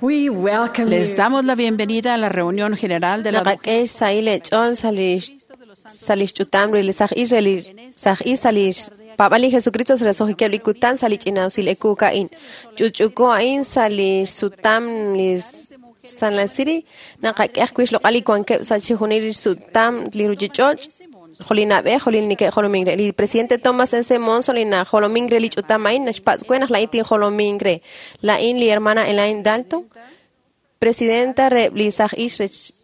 We welcome Les you. damos la bienvenida a la reunión general de la Naqak'e xsahil eech'ool sa' li xch'utam re li saj ix re li saj ix sa' li xpaab'al li Jesucristo sa' roso'jikeb' li kutan sa' li ch'ina'usil ekuuk a'in. Ch'utch'uuko a'in sa' li xsutam li San Lake City naqak'e ajwi' xloq'al li wankeb' sa' chixjunil li xsutam li ruchich'och' jo' li na'b'ej jo' li neke'jolomink re. Li presidente Thomas S. Monson li najolomink re li ch'utam a'in naxpatz' we naq la'in tinjolomink re. La'in li hermana Elaine Dalton, presidenta re li saj ix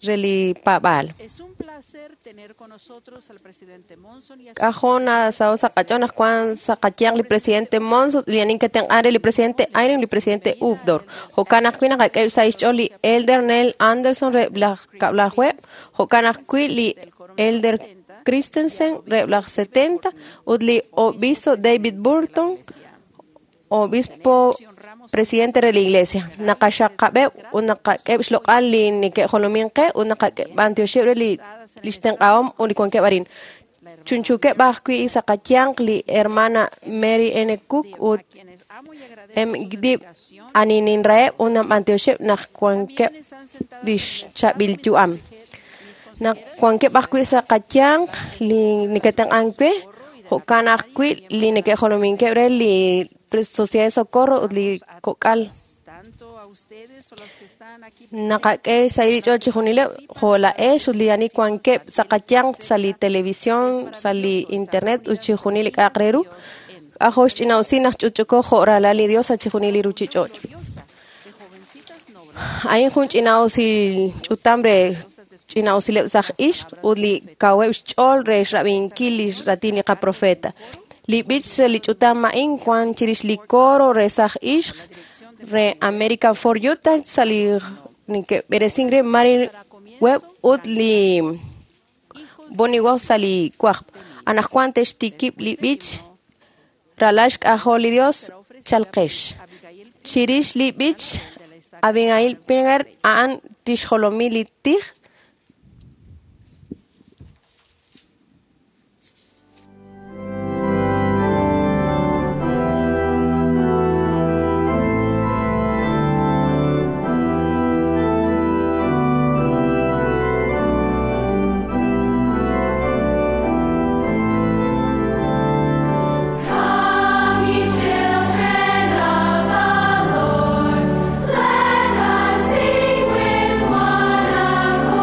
re li paab'aal. Es un placer tener con nosotros al presidente Monson y a su K'ajo' nasaho' sa' qach'ool naq wan sa' qayaq li presidente Monson, li ani ke'tenq'an re li presidente Eyring, li presidente Uchtdorf. Jo'kan ajwi' naqak'e sa' xch'ool li Elder Neil Anderson re laj kab'lajueb', jo'kan ajwi' li Elder Christensen re laj 70 ut li obispo David Burton, obispo presidente re la iglesia. Naqaxaqab'eb' ut naqak'eb' xloq'al li neke'jolomin qe ut naqak'eb'antioxeb' re li xtenq'ahom ut li wankeb' arin. Chunchukeb' ajwi' sa' qayanq li hermana Mary N. Cook ut a quienes amo y agradezco M. su Dib dedicación. ani ninraheb' ut nanb'antioxeb' naq wankeb' También están sentadas li en la xchaab'il estatua yu'am. mis consejeras Naq wankeb' ajwi' sa' qayanq li neke'tenq'an we, jo'kan ajwi' li neke'jolominkeb' re li Sociedad de Socorro ut li kok'al. tanto a ustedes o los que están aquí Naqak'e xsahil li ch'ool chixjunileb' jo' laa'ex ut li ani wankeb' sa' qayanq sa' li televisión, sa' li internet ut chixjunil li k'a'aq re ru. K'ajo' xch'ina'usil naq ch'utch'uko jo' ralal li Dios sa' chixjunil li ruchich'och'. gloriosa de jovencitas nobles A'in jun ch'ina'usil ch'utam re ch'ina'usileb' saj ixq ut li kaweb' xch'ool re xrab'inkil li xratin li qaprofeta. Li b'ich re li ch'utam a'in wan chirix li coro re saj ixq re America for Utah sa' li neke'b'eresink re Mary Webb ut li Bonnie Webb sa' li wajb'. Anaqwan te'xtikib' li b'ich ralal xk'ajol li Dios chalqex. Abigail Chirix li b'ich Abigail Pinger a'an tixjolomi li tij. Come, ye children of the Lord, let us sing with one accord.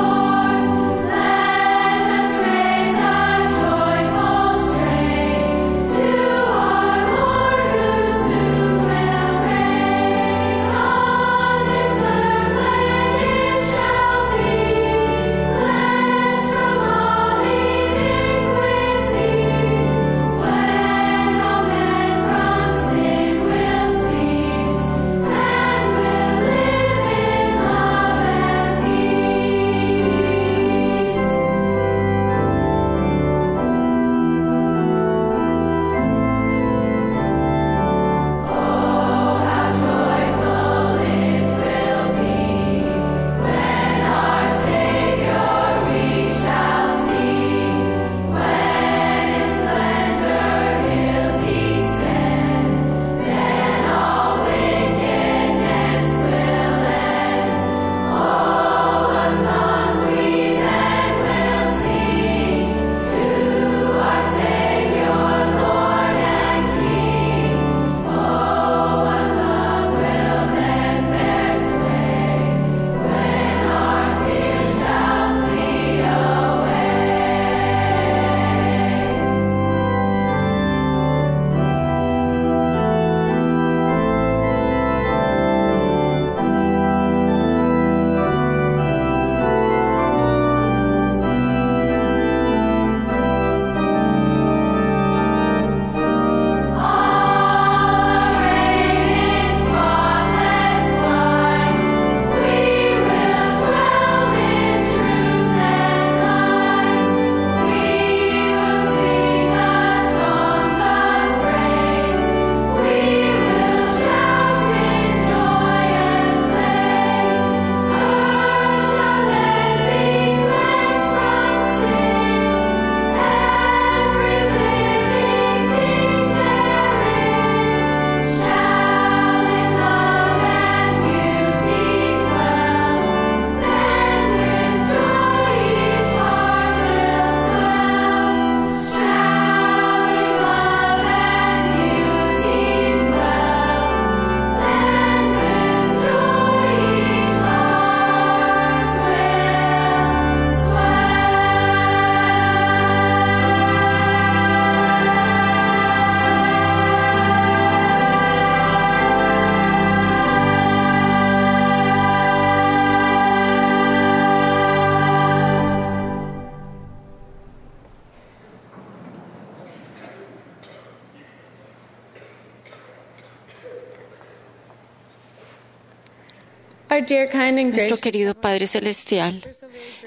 Our dear, kind, and Nuestro gracious querido Padre Celestial,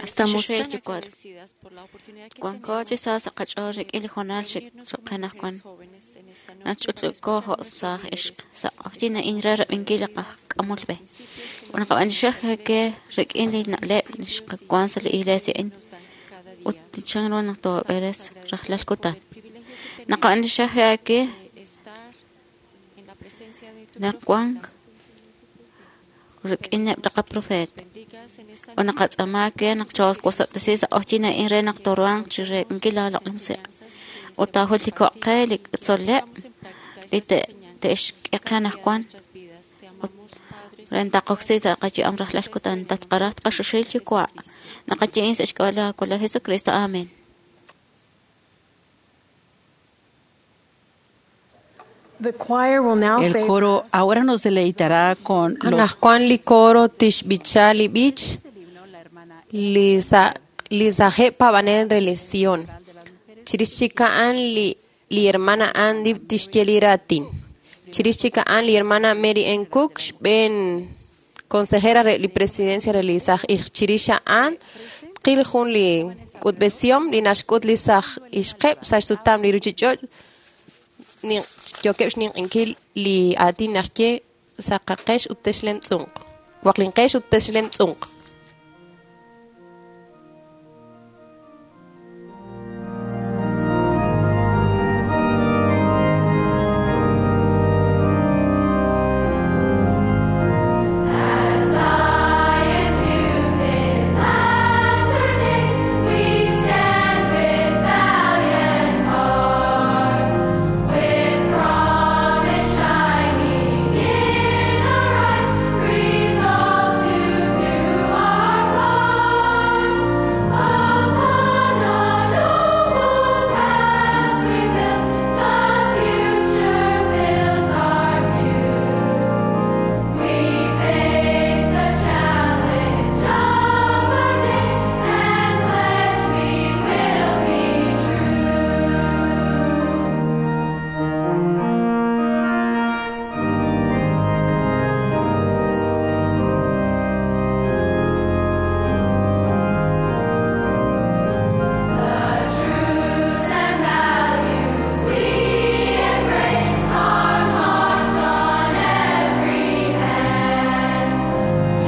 estamos tan Xoxel yuwal. agradecidas por la oportunidad que Wanko chi tenemos sa sa qach'ool de rik'in li hoonal reunirnos como xeqanaj mujeres wan. jóvenes en esta noche para Nach'utz'uko escuchar jo' nuestros saaj líderes ixq sa q'oqyin a'in re rab'inkil li qajk'amol b'e. principios que nos Unaqab'anixej ke rik'in li na'leb' xqawan sa li iglesia a'in nos dan cada ut día. chan ru naq toob'eres rajlal kutan. Por el privilegio que tenemos Naqab'anixej ke de estar en la presencia de tu naq wan profeta. rik'ineb' li qaprofeet. Bendigas en esta Ut naqatz'aama ke naq chawaswasab'tesi sa q'oqyin a'in re naq toruhanq chi reek'inkil laaloq'lumsi'. Ut taajultiko'q qe li tzol'leb' li te'xk'e qe anaqwan ut re ntaqoksi sa qayu'am rajlal kutan tatqaraj tqaxuxil yuwa' naqayi'in sa' xk'ab'a' la Kolol Jesucristo. Amén. The choir will now El favor coro ahora nos deleitará con los Anajwan li coro tixb'icha li b'ich li sa li sajeb' paab'anel re li Sion. Chirix chik a'an li li hermana Andy tixye li raatin. Chirix chik a'an li hermana Mary N. Cook xb'een consejera re li presidencia re li saj ix. Chirix a'an tqil jun li k'utb'esihom li naxk'ut li saj ixqeb' sa' xsutam li ruchich'och' yookeb' xninq'inkil li aatin naxye saqaqex ut texlemtz'unq. Waqlinqex ut texlemtz'unq. We stand with valiant hearts, with promise shining in our eyes, resolved to do our part. Upon our noble past we build, the future fills our view. We face the challenge of our day and pledge we will be true. The truths and values we embrace are marked on every hand.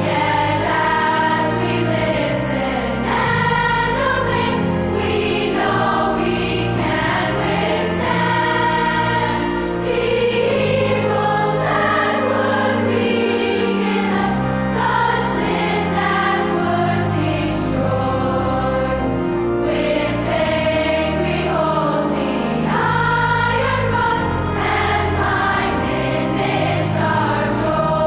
Yet as we listen and obey, we know we can withstand the evils that would weaken us, the sin that would destroy. With faith we hold the iron rod and find in this our joy.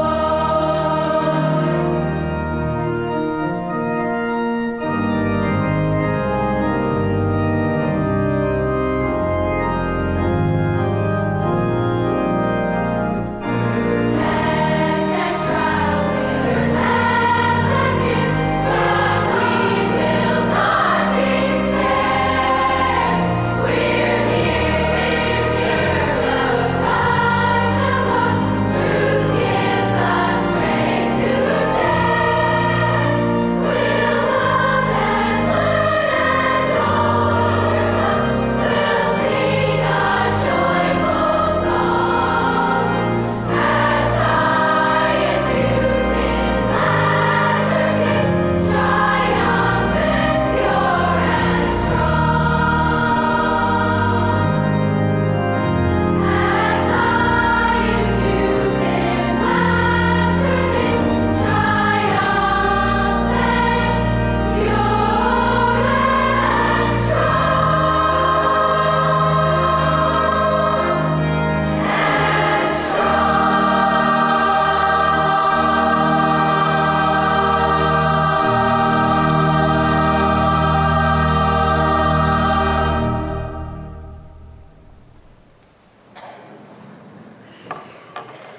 Test and trial, test and fears, but we will not despair. We're here in search of such as ours. Truth gives us strength to dare. We'll love and learn and overcome. We'll sing a joyful song. As Zion's youth in latter days, triumphant, pure and strong. As Zion's youth in latter days, triumphant, pure and strong.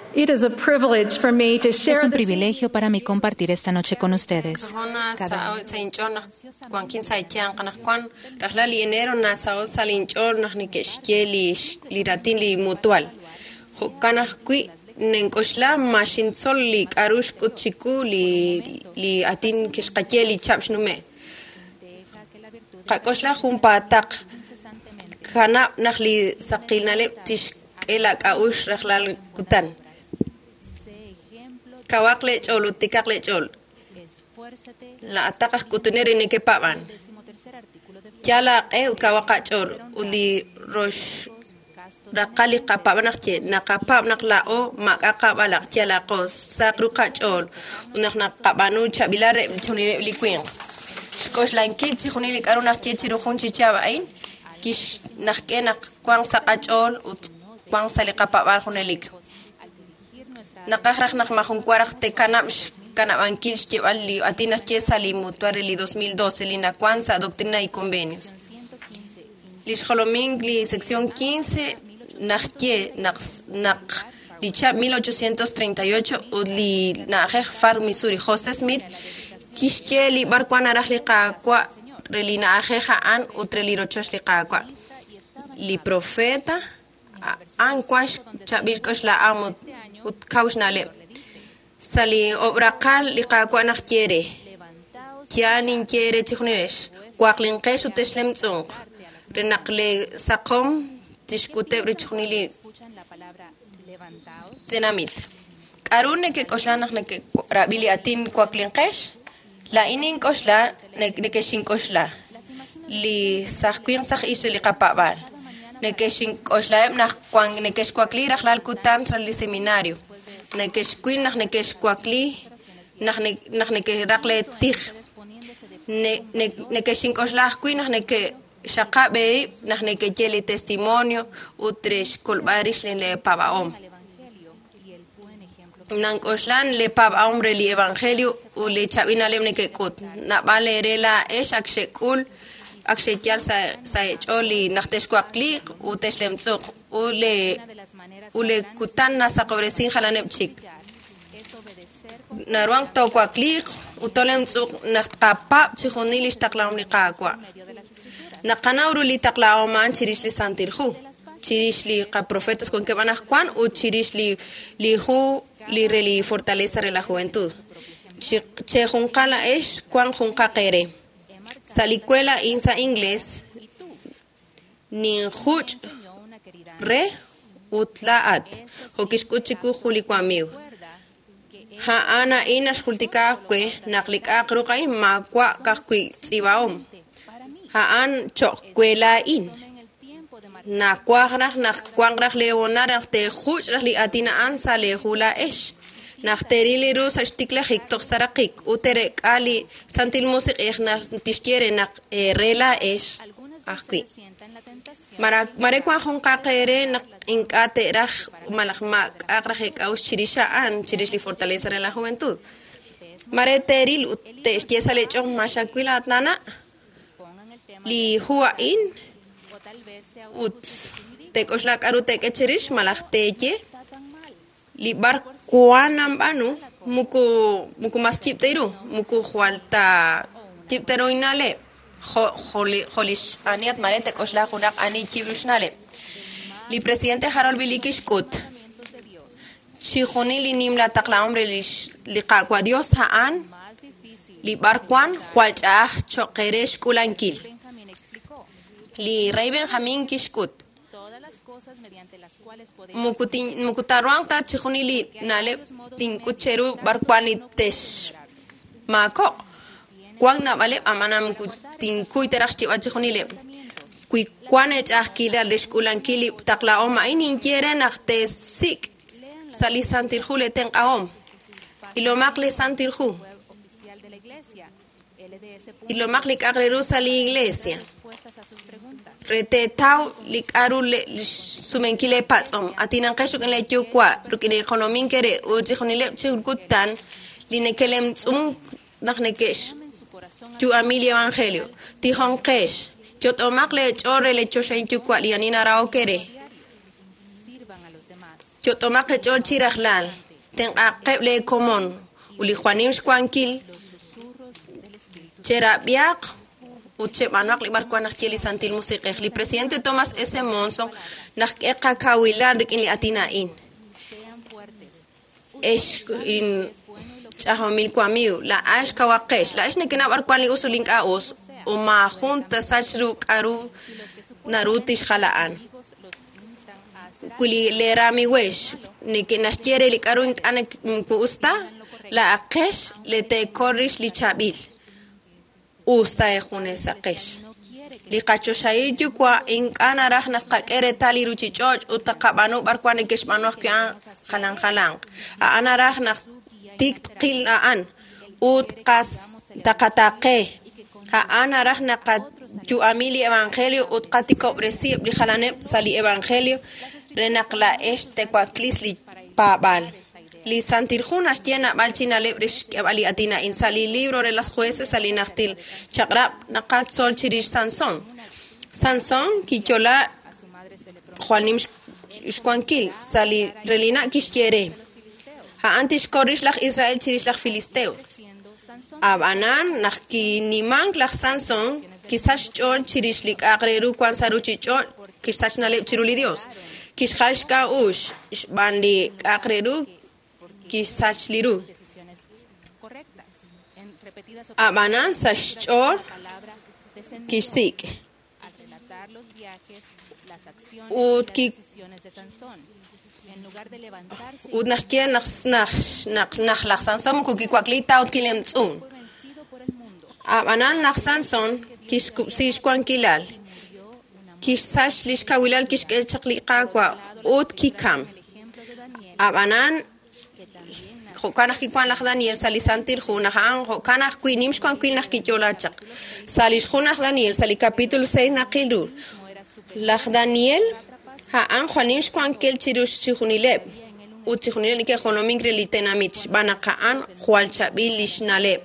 And It is a privilege for me to share Es un this privilegio para mí compartir esta noche con ustedes. Jona sa'o sa inch'ool naq wankin sa eyanq anaqwan rajlal li enero nasa'o sa linch'ool naq neke'xye li li raatin li mutual. Jo'kan ajwi' Nink'oxla ma xintzol li k'a'ru xk'ut chiwu li aatin kixqaye li chihab' xnume'. Qak'oxla junpaataq. Kanab' naq li saqil na'leb' tixk'e laak'a'uxl rajlal kutan. Kawaq leech'ool ut tiikaq leech'ool. Laa'ataq aj k'utunel re neke'paab'an. Yal aaq'e ut kawaq aach'ool ut li rox raqal li qapaab'an naq ye naqapaab' naq laa'o maak'a' qab'alaq' yalaqo saq ru qach'ool ut naq naqab'aanu chaab'ilal reheb' chixjunileb' li winq. Xk'oxlankil chixjunil li k'a'ru naqye chiru jun chi chihab' a'in kixnaqk'e naq wanq sa' qach'ool ut wanq sa' li qapaab'aal junelik. Naqaj raj naq maajun wa raj te'kanab' xkanab'ankil xyeeb'al li aatin naxye sa' li mutual re li 2012 li nawan sa' Doctrina y Convenios. Li xjolomink li sección 15 naxye naq li chihab' 1838 ut li na'ajej Far Missouri José Smith kixye li b'arwan naraj li Qaawa' re li na'ajej a'an ut re li rochoch li Qaawa'. Li profeta a'an wan xchaab'il k'oxla'am ut kaw xna'leb'. Sa' li ob'raqal li Qaawa' naqye re yaal ninye re chixjunilex waqlinqex ut texlemtz'unq re naq le saqom tixk'uteb' re chixjunil li tenamit. K'a'ru nekek'oxla naq neke'rab'i li aatin waklinqex? Laa'in nink'oxla nekexink'oxla li saj winq saj ix re li qapaab'aal. Nekexink'oxlaheb' naq nekexwakli rajlal kutan sa' li seminario. Nekexwil naq nekexwakli naq nekeraq lee tij. Nekexink'oxla ajwi' naq nekexaqab' eerib' naq nekeye li testimonio ut re xkolb'al rix lee paab'ahom. Nank'oxlan lee paab'ahom re li evangelio ut li chaab'il na'leb' nekek'ut. Naab'al eere laa'ex ak xek'ul ak xeyal sa' eech'ool li naq texwakliiq ut texlemtz'uq ut le kutan nasaqob'resin jalaneb' chik. Naruhank toowakliiq ut toolemtz'uq naq tqapaab' chixjunil li xtaqlahom li Qaawa'. Naqanaw ru li taqlahom a'an chirix li Santil Hu, chirix li qaprofetas wankeb' anaqwan ut chirix li hu li re li Fortaleza re la Juventud. Chejunqal laa'ex wan junqaq eere. Sa' li kuela a'in sa' inglés ninjuch' re ut laa'at jo' kixk'ut chiwu jun li wamiiw. A'an a'in naxjultika we naq li k'a'aq ru a'in maawa' ka'ajwi' tz'iib'ahom. A'an cho'q we laa'in. Nawaj raj naq wanq raj leehonal naq teejuch' raj li aatin a'an sa' leehu laa'ex. Naq teeril li ru sa' xtiklajik toj sa' raqik ut teerek'a li Santil Musiq'ej naq tixye re naq re laa'ex ajwi'. Mare wan junqaq eere naq ink'a' te'raj malaj maak'a'aq raj eek'a'uxl chirix a'an chirix li Fortaleza re la Juventud. Mare teeril ut te'xye sa' leech'ool ma xawil at nana' li hu a'in ut teek'oxla k'a'ru teek'e chirix malaj teeye li b'ar wan nanb'aanu muku mas yib' ta ru muku jwal ta yib' ta ru inna'leb' jo' li ani at mare teek'oxla junaq ani yib' ru xna'leb'. Li presidente Harold B. Lee kixk'ut chixjunil li nimla taqlahom re li Qaawa' Dios a'an li b'ar wan jwal ch'a'aj cho'q qe re xk'ulankil. Li rey Benjamín kixk'ut muku taruhanq ta chixjunil li na'leb' tink'ut cheru b'ar wan li texmaako'q. Wan naab'aleb' a'an muku tinkuy ta raj xyeeb'al chixjunileb'. Wi wan eech'a'ajkilal re xk'ulankil li taqlahom a'in ninye re naq teesik' sa' li Santil Hu le tenq'ahom. Ilomaq li Santil Hu. Ilomaq li k'a'aq re ru sa' li iglesia. Re teetaw li k'a'ru xsumenkil leepatz'om. Atinanqex rik'in leeyuwa' rik'in li jolomink re ut chixjunileb' chi kutan li neke'lemtz'un naq neke'xyu'ami li evangelio. Tijonqex, yot'omaq leech'ool re leechoxahil yuwa' li ani narahok eere. Yot'omaq eech'ool chi rajlal. Tenq'aqeb' leekomon ut li jwal nim xwankil cherab'iaq ut cheb'anuaq li b'ar wan naq ye li Santil Musiq'ej. Li presidente Thomas S. Monson naq k'e qakawilal rik'in li aatin a'in. Ex ch'ajomil wamiiw, laa'ax kawaqex, laa'ex nekenaw b'ar wan li us ut li ink'a' us, ut maajun tasach ru k'a'ru naru tixjal a'an. Wi li leeramiiwex neke'naxye re li k'a'ru ink'a' moko us ta, laa'aqex le teekol rix li chaab'il, us ta eejunesaqex. Li qachoxahil yuwa' ink'a' naraj naq tqak'e reetal li ruchich'och' ut taqab'aanu b'ar wan neke'xb'aanu ajwi' a'an jalan jalanq. A'an naraj naq tik tqil a'an ut qas taqataaqe. A'an naraj naq qayu'ami li evangelio ut qatikob'resi eb' li jalaneb' sa' li evangelio re naq laa'ex te'waklis li paab'aal. Li Santil Hu naxye naab'al chi na'leb' re xk'eb'al li aatin a'in. Sa' li libro re las jueces sa' li najtil chaq'rab' naqatzol chirix Sansón. Sansón kiyo'la jwal nim xwankil sa' li relina' kixye re. A'an tixkol rix laj Israel chirix laj Filisteo. Ab'anan naq kinimank laj Sansón kisach xch'ool chirix li k'a'aq re ru wan sa' ruchich'och' kixsach na'leb' chiru li Dios. Kixjal xk'a'uxl xb'aan li k'a'aq re ru kixsach li ru. Ab'anan sa' xch'ool kixsik'. Ut ki ut naxye naq naq naq naq laj Sansón moko kiwakli ta ut kilemtz'un. Ab'anan laj Sansón kixkub'si xwankilal, kixsach li xkawilal kixk'e chaq li Qaawa' ut kikam. Ab'anan jo'kan naq kiwan laj Daniel sa' li Santil Hu naq a'an jo'kan ajwi' nim xwankil naq kiyo'la chaq. Sa' li xhu laj Daniel sa' li capítulo 6 naqil ru. Laj Daniel a'an jwal nim xwankil chiru chixjunileb' ut chixjunileb' neke'jolomink re li tenamit xb'aan naq a'an jwal chaab'il li xna'leb'.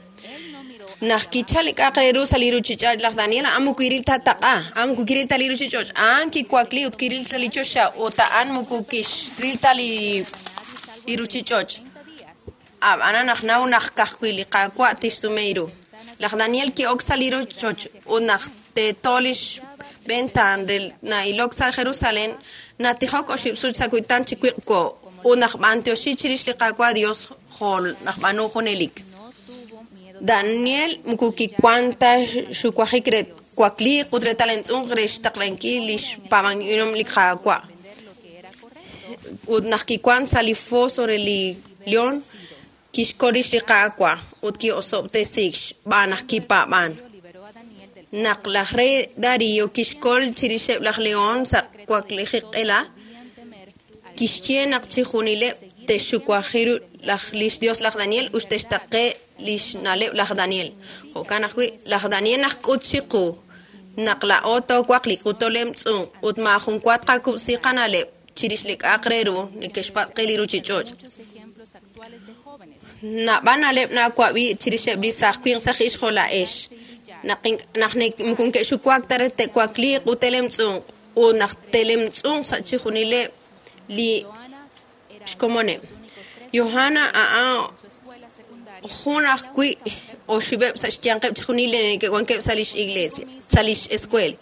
Naq kichal li k'a'aq re ru sa' li ruchich'och' laj Daniel a'an moko kiril ta taq'a, a'an moko kiril ta li ruchich'och', a'an kiwakli ut kiril sa' li choxa ut a'an moko kixril ta li ruchich'och'. Ab'anan naq naw naq ka'ajwi' li Qaawa' tixsume ru. Laj Daniel ki'ok sa' li rochoch ut naq teeto li xventaan re na'ilok sa' Jerusalén, natijok oxib' sut sa' kutan chi wiq'wo ut naq b'antioxi chirix li Qaawa' Dios jo' naq b'aanu junelik. Daniel moko kiwan ta xuwajik re twakliiq ut re talemtz'unq re xtaqlankil li xpaab'ankilom li Qaawa'. Ut naq kiwan sa' li foso re li león, kixkol rix li Qaawa' ut ki'osob'tesiik xb'aan naq kipaab'an. Naq laj rey Darío kixkol chirixeb' laj león sa' waklijik q'ela, kixye naq chixjunileb' te'xxuwaji ru laj lix Dios laj Daniel ut te'xtaqe lix na'leb' laj Daniel. Jo'kan ajwi' laj Daniel naxk'ut chiqu naq laa'o toowakliq ut toolemtz'unq ut maajun wa tqakub'si qana'leb' chirix li k'a'aq re ru neke'xpatz' qe li ruchich'och'. Naab'al na'leb' naawab'i chirixeb' li saaj winq saj ixq jo' laa'ex. Naq naq moko neke'xuwak ta re te'wakliiq ut te'lemtz'unq ut naq te'lemtz'unq sa' chixjunileb' li xkomoneb'. Johanna a'an jun ajwi' oxib'eb' sa' xyanqeb' chixjunil li neke'wankeb' sa' lix iglesia, sa' lix escuela.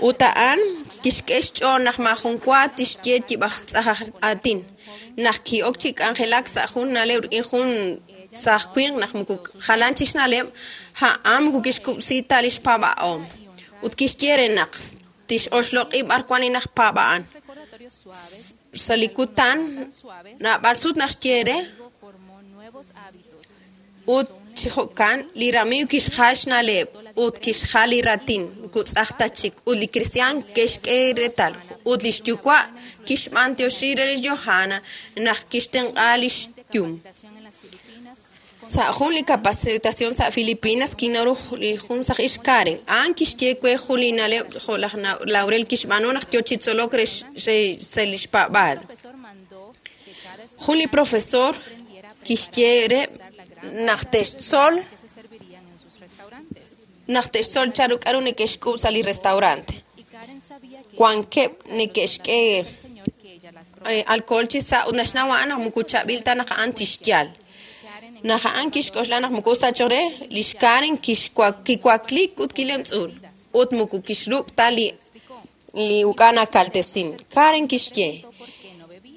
Ut a'an kixk'e xch'ool naq maajun wa tixye yib'aj tz'aj aj aatin. Naq ki'ok chi k'anjelak sa' jun na'leb' rik'in jun saaj winq naq moko jalan chik xna'leb', a'an moko kixkub'si ta lix paab'ahom. Ut kixye re naq tix'oxloq'i b'ar wan li najpaab'a'an. Sa' li kutan naab'al sut naxye re ut chi jo'kan li ramiiw kixjal xna'leb' ut kixjal li raatin moko tz'aj ta chik ut li kristiaan ke'xk'e reetal ut lix yuwa' kixb'antioxi re lix Johanna naq kixtenq'a lix yum. Sa' jun li capacitación sa' Filipinas kinnaw ru li jun saj ixq Karen. A'an kixye we jun li na'leb' jo' laj Laurel kixb'aanu naq yoo chi tzolok re sa' lix paab'aal. Jun li profesor kixye re naq te'xtzol chanru k'a'ru neke'xk'ub' sa' li restaurante. Wankeb' neke'xk'e alcohol chi sa' ut naxnaw a'an naq moko chaab'il ta naq a'an tixyal. Naq a'an kixk'oxla naq moko us ta choq' re, lix Karen kiwakliik ut kilemtz'un ut moko kixruk' ta li uk'a' nakaltesin. Karen kixye: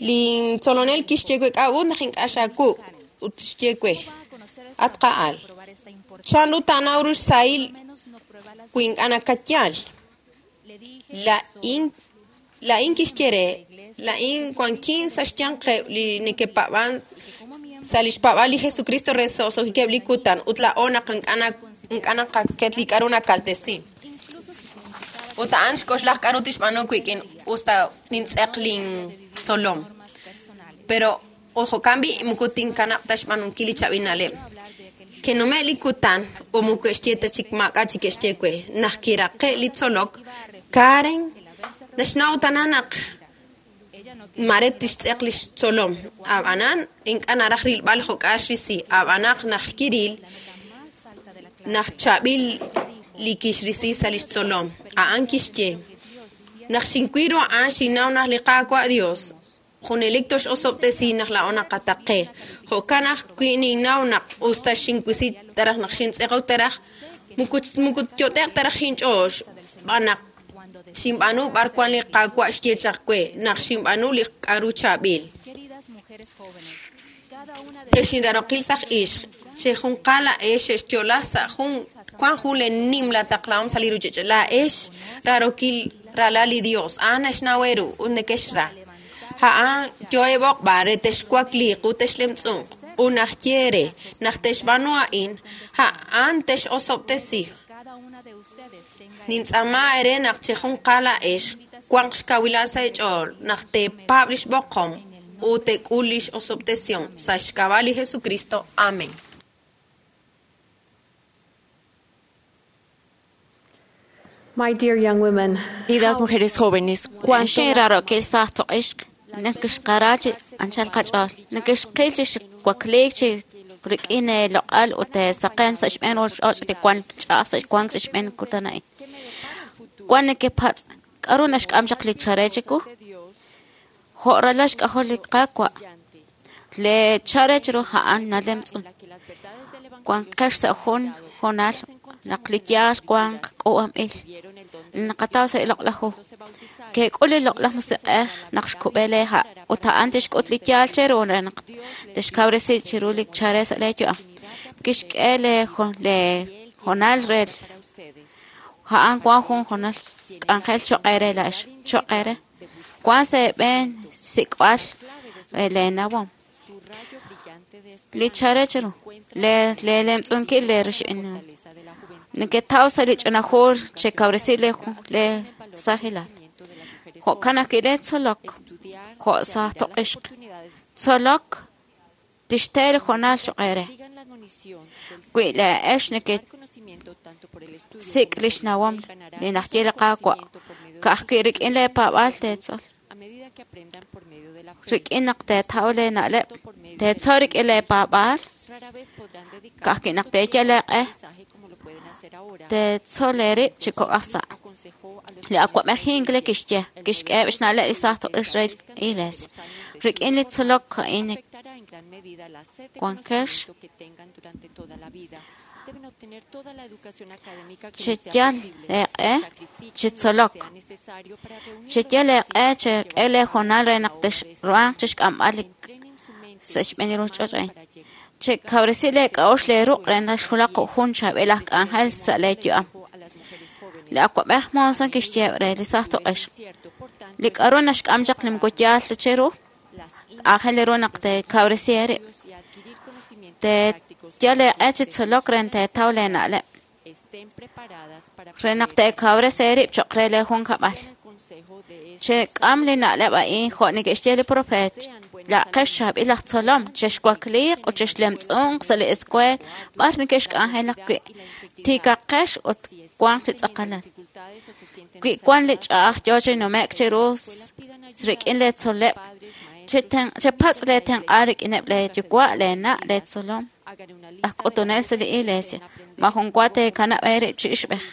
Lintzolonel kixye we k'a'ut naq ink'a' xaakuk' ut xye we, at qa'al, chanru taanaw ru xsahil wi ink'a' nakatyal? Laa'in laa'in kixye re, laa'in wankin sa' xyanqeb' li neke'paab'an sa' lix paab'aal li Jesucristo re roso'jikeb' li kutan ut laa'o naq ink'a' naqaket li k'a'ru nakaltesi. Ut a'an xk'oxlaj k'a'ru tixb'aanu wik'in usta nintz'eq lintzolom. Pero jo'kan b'i' moko tinkanab' ta xb'aanunkil li chaab'il na'leb'. Ke'nume' li kutan ut moko ke'xye ta chik maak'a' chik ke'xye we. Naq kiraqe' li tzolok, Karen naxnaw tana naq mare tixtz'eq lix tzolom. Ab'anan ink'a' naraj rilb'al jo'k'a xrisi. Ab'anaq naq kiril naq chaab'il li kixrisi sa' lix tzolom. A'an kixye, naq xinwil ru a'an xinnaw naq li Qaawa' Dios junelik tox'osob'tesi naq laa'o naqataqe. Jo'kan ajwi' ninnaw naq usta xinwisi taraj naq xintz'eqok taraj moko yot'e'q taraj xinch'ool xb'aan naq xinb'aanu b'ar wan li Qaawa' xye chaq we naq xinb'aanu li k'a'ru chaab'il. Ex inrarokil saj ixq, chejunqal laa'ex xexyo'la sa' jun wan jun le nimla taqlahom sa' li ruchich'och'. Laa'ex rarokil ralal li Dios, a'an naxnaw eeru ut nekexra. A'an yo'eb'oqb'al re texwakliiq ut texlemtz'unq ut naq ye eere naq texb'aanu a'in, a'an texosob'tesi. Nintz'aama eere naq chejunqal laa'ex wanq xkawilal sa' eech'ool naq teepaab' lix b'oqom ut teek'ul lix osob'tesihom sa' xk'ab'a' li Jesucristo. Amén. My dear young women, Queridas mujeres jóvenes, cuánto Xin rarokil saj toq'ixq nakixqara chi anchal qach'ool nakixqil chi xwakliik chi rik'in loq'al ut saqen sa' xb'een roch'och' li wan ch'a'aj sa' wank sa' xb'een kutan a'in. Wan nekepatz' k'a'ru naxk'am chaq li chare chiwu? Jo' ralal xk'ajol li Qaawa'. Le chare chiru a'an nalemtz'un. Wanqex sa' jun hoonal naq li yaal wanq k'uub'anb'il. Naqataw sa' li loq'laj hu. Ke'k'ul li loq'laj musiq'ej naq xkub'e lee ha' ut a'an tixk'ut li yaal cheru re naq tixkawresi chiru li chare sa' lee yu'am. Kixk'e lee hoonal re a'an wan jun hoonal k'anjel choq' eere laa'ex choq' eere. Wan sa' eeb'een xsik'b'al lee nawom. Li chare chiru lee lemtz'unkil lee rix'in. Neketaw sa' li ch'ina hu chekawresi lee sajilal. Jo'kan ajwi' lee tzolok jo' saj toq'ixq. Tzolok tixte li hoonal choq' eere. Wi laa'ex nekesik' lix nawom li naxye li Qaawa' ka'ajwi' rik'in lee paab'aal teetzol. Rik'in naq teetaw lee na'leb', teetzol rik'in lee paab'aal, ka'ajwi' naq teeyal eeq'e, teetzol eerib' chi kok'aj sa'. Li awa'b'ej Hinckley kixye, kixk'eheb' xna'leb' li saj toq'ix re iglesia. Rik'in li tzolok a'in wankex cheyal eeq'e chi tzolok. Cheyal eeq'e chek'e lee hoonal re naq texruhanq chixk'amb'al li sa' xb'een li ruchich'och' a'in. Chekawresi lee k'a'uxl lee ruq' re naq xwulaq jun chaab'il aj k'anjel sa' lee yu'am. Li awa'b'ej Monson kixye re li saj toq'ix. Li k'a'ru naxk'am chaq li moko yaal ta cheru, aajel ru naq teekawresi eerib'. Teeyal eeq'e chi tzolok re teetaw lee na'leb'. Re naq teekawresi eerib' choq' re lee junkab'al. Chek'am li na'leb' a'in jo' neke'xye li profeet. La'qex chaab'il aj tzolom, chexwakliiq ut chexlemtz'unq sa' li escuela b'ar neke'xk'anjelak wi'. Tiikaqex ut wanq chi tz'aqalal. Wi wan li ch'a'aj yoo chi nume'k chiru rik'in lee tzol'leb', chepatz' lee tenq'aal rik'ineb' lee yuwa', lee na', lee tzolom, aj k'utunel sa' li iglesia. Majun wa teekanab' eerib' chi ixb'ej.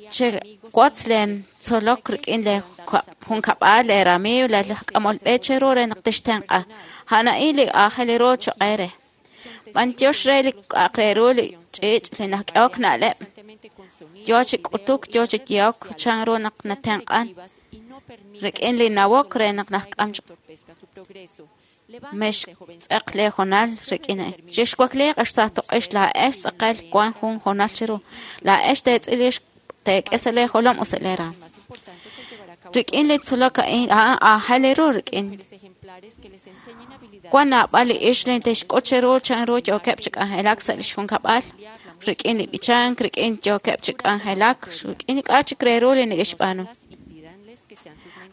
Chewotz leen tzolok rik'in lee junkab'al, lee ramiiw, lee laj k'amol b'e cheru re naq tixtenq'a. A'an a'in li aajel ru choq' eere. B'antiox re li k'a'aq re ru li ch'iich' li nak'ehok na'leb'. Yoo chi k'utuk, yoo chi yehok chan ru naq natenq'an rik'in li nawok re naq najk'am chaq. Mextz'eq leehoonal rik'in a'in. Chixwakliiq ex saaj tuq'ix laa'ex tz'aqal wank jun hoonal cheru. Laa'ex teetz'il rix teek'e sa' leejolom ut sa' leeraam. Rik'in li tzolok a'in a'an aajel eeru rik'in. Wank naab'al li ixq li te'xk'ut cheru chanru yookeb' chi k'anjelak sa' lix junkab'al, rik'in li b'ichank, rik'in yookeb' chi k'anjelak, rik'in li k'a' chik re ru li neke'xb'aanu.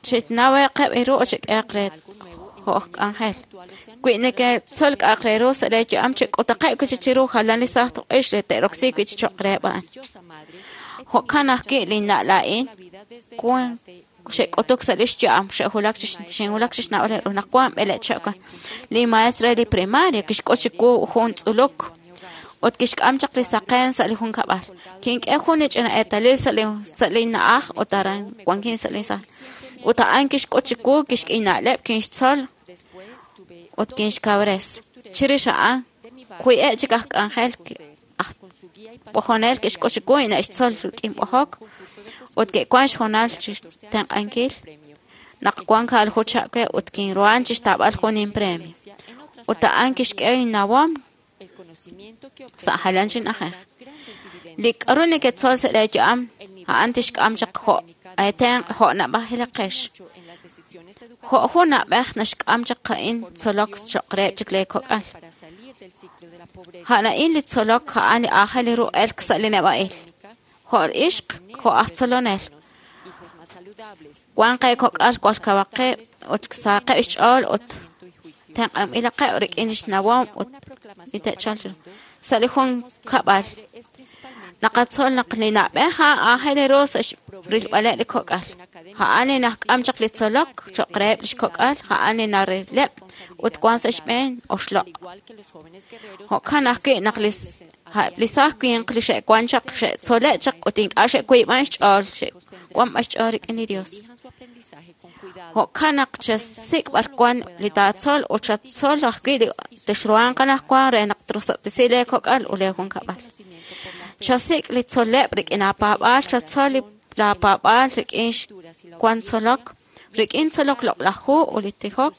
Chinaweqeb' eeru ut chek'ehaq re jo' aj k'anjel. Wi neketzol k'a'aq re ru sa' leeyu'am, chek'utaqeb' wi' chik chiru jalan li saaj tuq'ix re te'roksi wi' chik cho'q reheb' a'an. Jo'kan ajwi' linna' laa'in wank xe'k'utuk sa' li xyu'am, xe'wulak chi xinwulak chi xnawb'al ru naq wank b'eleeb' chihab' wan. Li maestro re li primaria kixk'ut chiwu jun tz'uluk ut kixk'am chaq li saqen sa' li junkab'al. Kink'e jun li ch'ina eetalil sa' li sa' linna'aj ut aran wankin sa' li saal. Ut a'an kixk'ut chiwu, kixk'e inna'leb', kinxtzol ut kinxkawres. Chirix a'an, wi'eb' chik aj k'anjel aj b'ojonel ke'xk'ut chiwu ine'xtzol rik'in b'ojok ut ke'wank xhoonal chi xtenq'ankil naq wank kaalaju chihab' we ut kinruhan chi xtaab'al jun inpremio. Ut a'an kixk'e innawom sa' jalan chi na'ajej. Li k'aru neketzol sa' leeyu'am a'an tixk'am chaq jo' eetenq' jo' na'b'ajilaqex. Jo' jun na'b'ej naxk'am chaq a'in tzolok cho'q reheb' chik leekok'al. A'an a'in li tzolok a'an li aajel ru elk sa' li neb'a'il. Jo' ixq, jo' aj tzolonel. Wank qeekok'al jwal kawaqeb' ut sahaqeb' xch'ool ut tenq'anb'ilaqeb' rik'in li xnawom ut li te'chalq chiru. Sa' li junkab'al naqatzol naq li na'b'ej a'an aajel ru sa' rilb'aleb' li kok'al. A'an li naxk'am chaq li tzolok cho'q reheb' li xkok'al, a'an li narileb' ut wank sa' xb'een oxloq'. Jo'kan ajwi' naq li saaj winq li xe'wank chaq xe'tzole' chaq ut ink'a' xe'wiib'an xch'ool, xe'wank b'an xch'ool rik'in li Dios. Jo'kan naq chasik' b'ar wank li taatzol ut chatzol ajwi' li texruhanq anaqwan re naq trosob'tesi leekok'al ut leejunkab'al. Chasik' li tzol'leb' rik'in aapaab'aal, chatzol li laapaab'aal rik'in wank tzolok, rik'in tzolok loq'laj hu ut li tijok.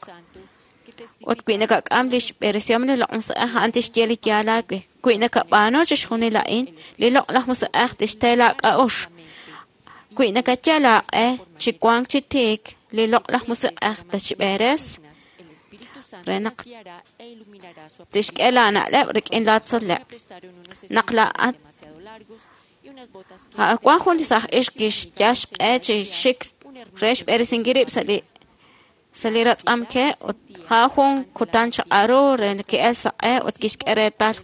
Ut wi nakak'am li xb'eresihom li Loq'laj Musiq'ej, a'an tixye li yaal aawe. Wi nakab'aanu chixjunil a'in, li Loq'laj Musiq'ej tixte laak'a'uxl. Wi nakayal aaq'e chi wank chi tiik, li Loq'laj Musiq'ej tatxb'eres re naq tixk'e laana'leb' rik'in laatzol'leb'. Naq laa'at wank jun li saaj ixq kixyal xq'e chi xik re xb'eresinkil rib' sa' li ratz'amke ut a'an jun kutan chaq'al ru re ki'elk saq'e ut kixk'e reetal.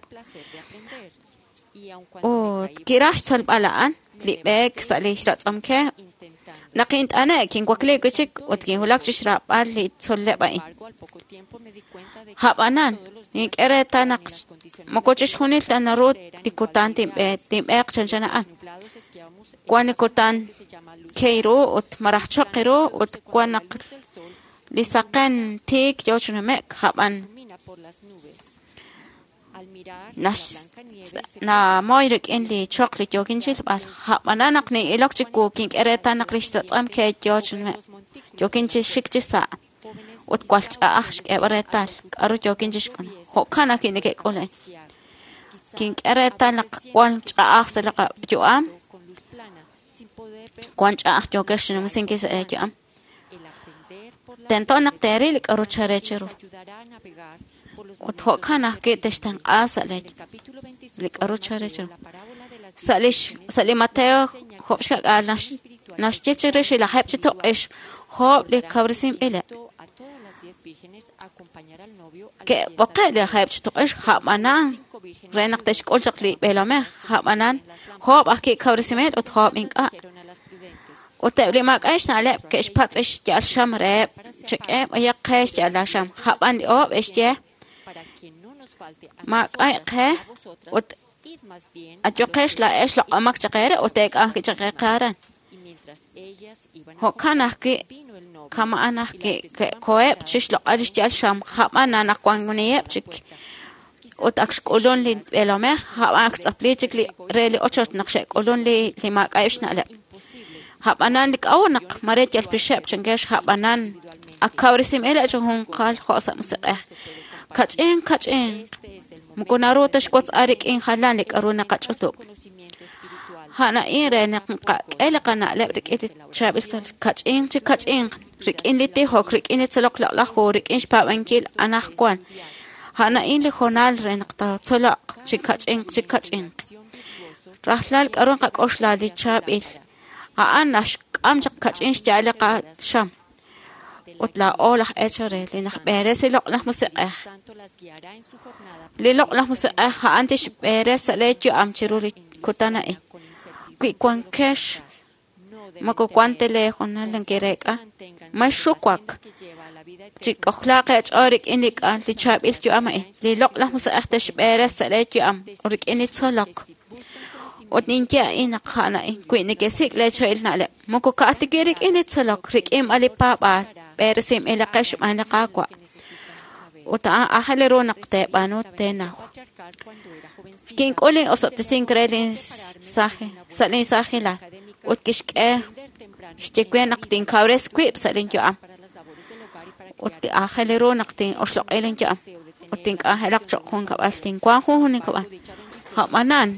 Ut kiraj xtzolb'al a'an li b'eek sa' li ratz'amke. Naq kint'ane' kinwakliik wi' chik ut kinwulak chi xraab'al li tzol'leb' a'in. Ab'anan, nink'e reetal naq moko chixjunil ta naru li kutan tinb'eeq chanchan a'an. Wank li kutan ke ru ut malaj choq ru ut wank naq li saqen tiik yoo chi nume'k, ab'an namoy rik'in li choq li yookin chilb'al. Ab'anan naq nin'ilok chiwu kink'e reetal naq li xratz'amke yoo chi nume'k, yookin chi xik chi sa' ut jwal ch'a'aj xk'eeb'al reetal k'aru yookin chixk'ulb'al. Jo'kan ajwi' neke'k'ul a'in. Kink'e reetal naq jwal ch'a'aj sa' li qayu'am, wank ch'a'aj yookex xnumsinkil sa' leeyu'am. Tento naq teeril li k'aru chare cheru. Ut jo'kan ajwi' textenq'a sa' li k'aru chare cheru. Sa' li Mateo job' xka'k'aal naxye chirix li lajeeb' chi tuq'ix job' li kawresinb'ileb'. Ke'b'oqe' li lajeeb' chi tuq'ix ab'anan re naq te'xk'ul chaq li b'eelomej, ab'anan job' ajwi' kawresinb'il ut job' ink'a'. Ut eb' li maak'a' xna'leb' ke'xpatz' xya'al xam reheb' chek'e b'ayaq qe xya'al laaxam. Ab'an li oob' xye maak'a' qe ut ayuqex laa'ex loq'omaq chaq eere ut teek'am ajwi' chaq qe aran. Jo'kan ajwi' kama'an ajwi' ke'koheb' chi xloq'al li xya'al xam, ab'an anaqwaniheb' chik ut ak xk'ulun li b'eelomej, ab'an ak xtz'apli chik li re li ochoch naq xe'k'ulun li maak'a'eb' xna'leb'. Ab'anan li k'a'ut naq mare yal pixeb' chankex ab'anan Ak kawresinb'il chi junqal jo' sa' musiq'ej. Kach'in kach'in moko naru ta xwotz'al rik'in jalan li k'aru naqach'utub'. A'an a'in re naq nqak'e li qana'leb' rik'in li chaab'il tzol kach'in chi kach'in rik'in li tijok, rik'in li tzolok loq'laj hu, rik'in xpaab'ankil anaqwan. A'an a'in li hoonal re naq taatzoloq chi kach'in chi kach'in. Rajlal k'aru nqak'oxla li chaab'il. A'an naxk'am chaq kach'in xya'al li qaxam. Ut laa'o laj eechal re li najb'eres li loq'laj musiq'ej. Li loq'laj musiq'ej a'an tixb'eres sa' lee yu'am chiru li kutan a'in. Wi wankex moko wan ta lee hoonal nekereek'a, mexxuwak. Chik'ojlaaq eech'ool rik'in li k'a li chaab'il yu'am a'in. Li loq'laj musiq'ej tixb'eres sa' lee yu'am ut rik'in li tzolok. Ut ninye a'in naq a'an a'in wi nekesik' lee chaab'il na'leb', moko ka'aj ta wi' rik'in li tzolok, rik'in b'an li paab'aal, b'eresinb'ilaqex xb'aan li Qaawa'. Ut a'an aajel ru naq teeb'aanu teenaw. Kink'ul lin osob'tesink re lin sa' lin saajilal ut kixk'e xye we naq tinkawres wib' sa' lin yu'am. Ut aajel ru naq tin'oxloq'i lin yu'am ut tink'anjelaq cho'q junkab'al, tinwanq jun junkab'al. A'b'anan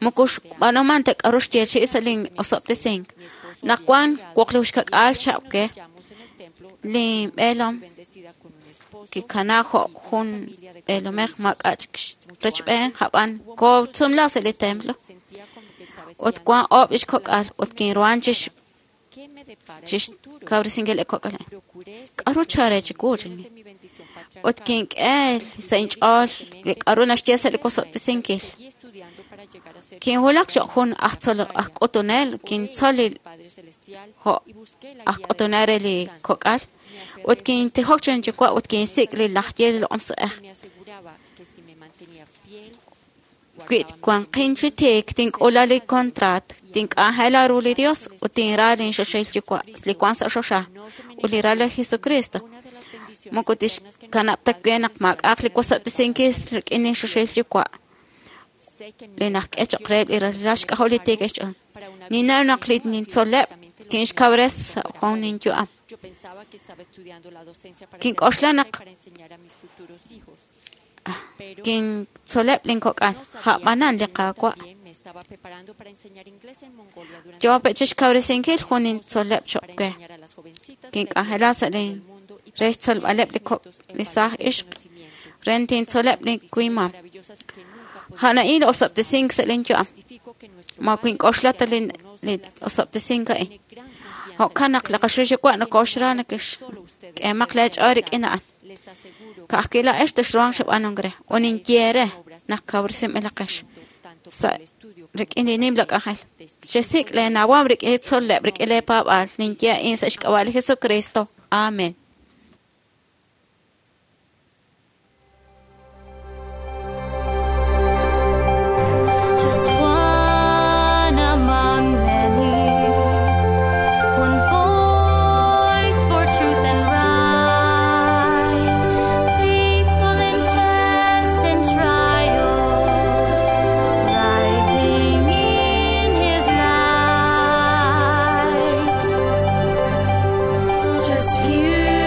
moko xb'aanuman ta k'aru xyeechi'i sa' lin osob'tesink. Naq wan wuqlux ka'k'aal chihab' we, lin b'eelom kikana jo' jun b'eelomej maak'a' chik rechb'een a'b'an kootzumla sa' li templo ut wan oob' lix kok'al ut kinruhan chixkawresinkil li kok'al a'in. K'aru chare chiwu chan. Ut kink'e sa' inch'ool li k'aru naxye sa' li wosob'tesinkil. Kinwulak cho'q jun aj tzol aj k'utunel, kintzol li jo' aj k'utunel re li kok'al ut kintijok chiru inyuwa' ut kinsik' li laj ye li loq'om musiq'ej. Wi wanqin chi tiik, tink'ula li contraat, tink'anjela ru li Dios ut tinra lin choxahil yuwa' li wan sa' choxa ut li ral li Jesucristo. Moko tixkanab' ta we naq maak'a'aq li wosob'tesinkil rik'in lin choxahil yuwa' li najk'e cho'q reheb' li ralal xk'ajol li tiik xch'ool. Ninnaw naq li nintzoleb' kinxkawres sa' jun ninyu'am. Kink'oxla naq kintzoleb' linkok'al, a'b'anan li Qaawa' yoo pe' chixkawresinkil jun nintzoleb' cho'q we. Kink'anjela sa' lin re xtzolb'aleb' li kok' li saaj ixq re tintzoleb' li wimam. A'an a'in li osob'tesink sa' lin yu'am. Ma kink'oxla ta li osob'tesink a'in. Jo'kan naq li qaxul yuwa' nokoxra nakexk'eemaq lee ch'ool rik'in a'an. Ka'ajwi' laa'ex texruhanq xb'aanunkil re ut ninye re naq kawresinb'ilaqex sa' rik'in li nimla k'anjel. Chesik' lee nawom rik'in li tzol'leb' rik'in lee paab'aal. Ninye a'in sa' xk'ab'a' li Jesucristo. Amen. Just one among many, one voice for truth and right, faithful in test and trial, rising in His light. Just few.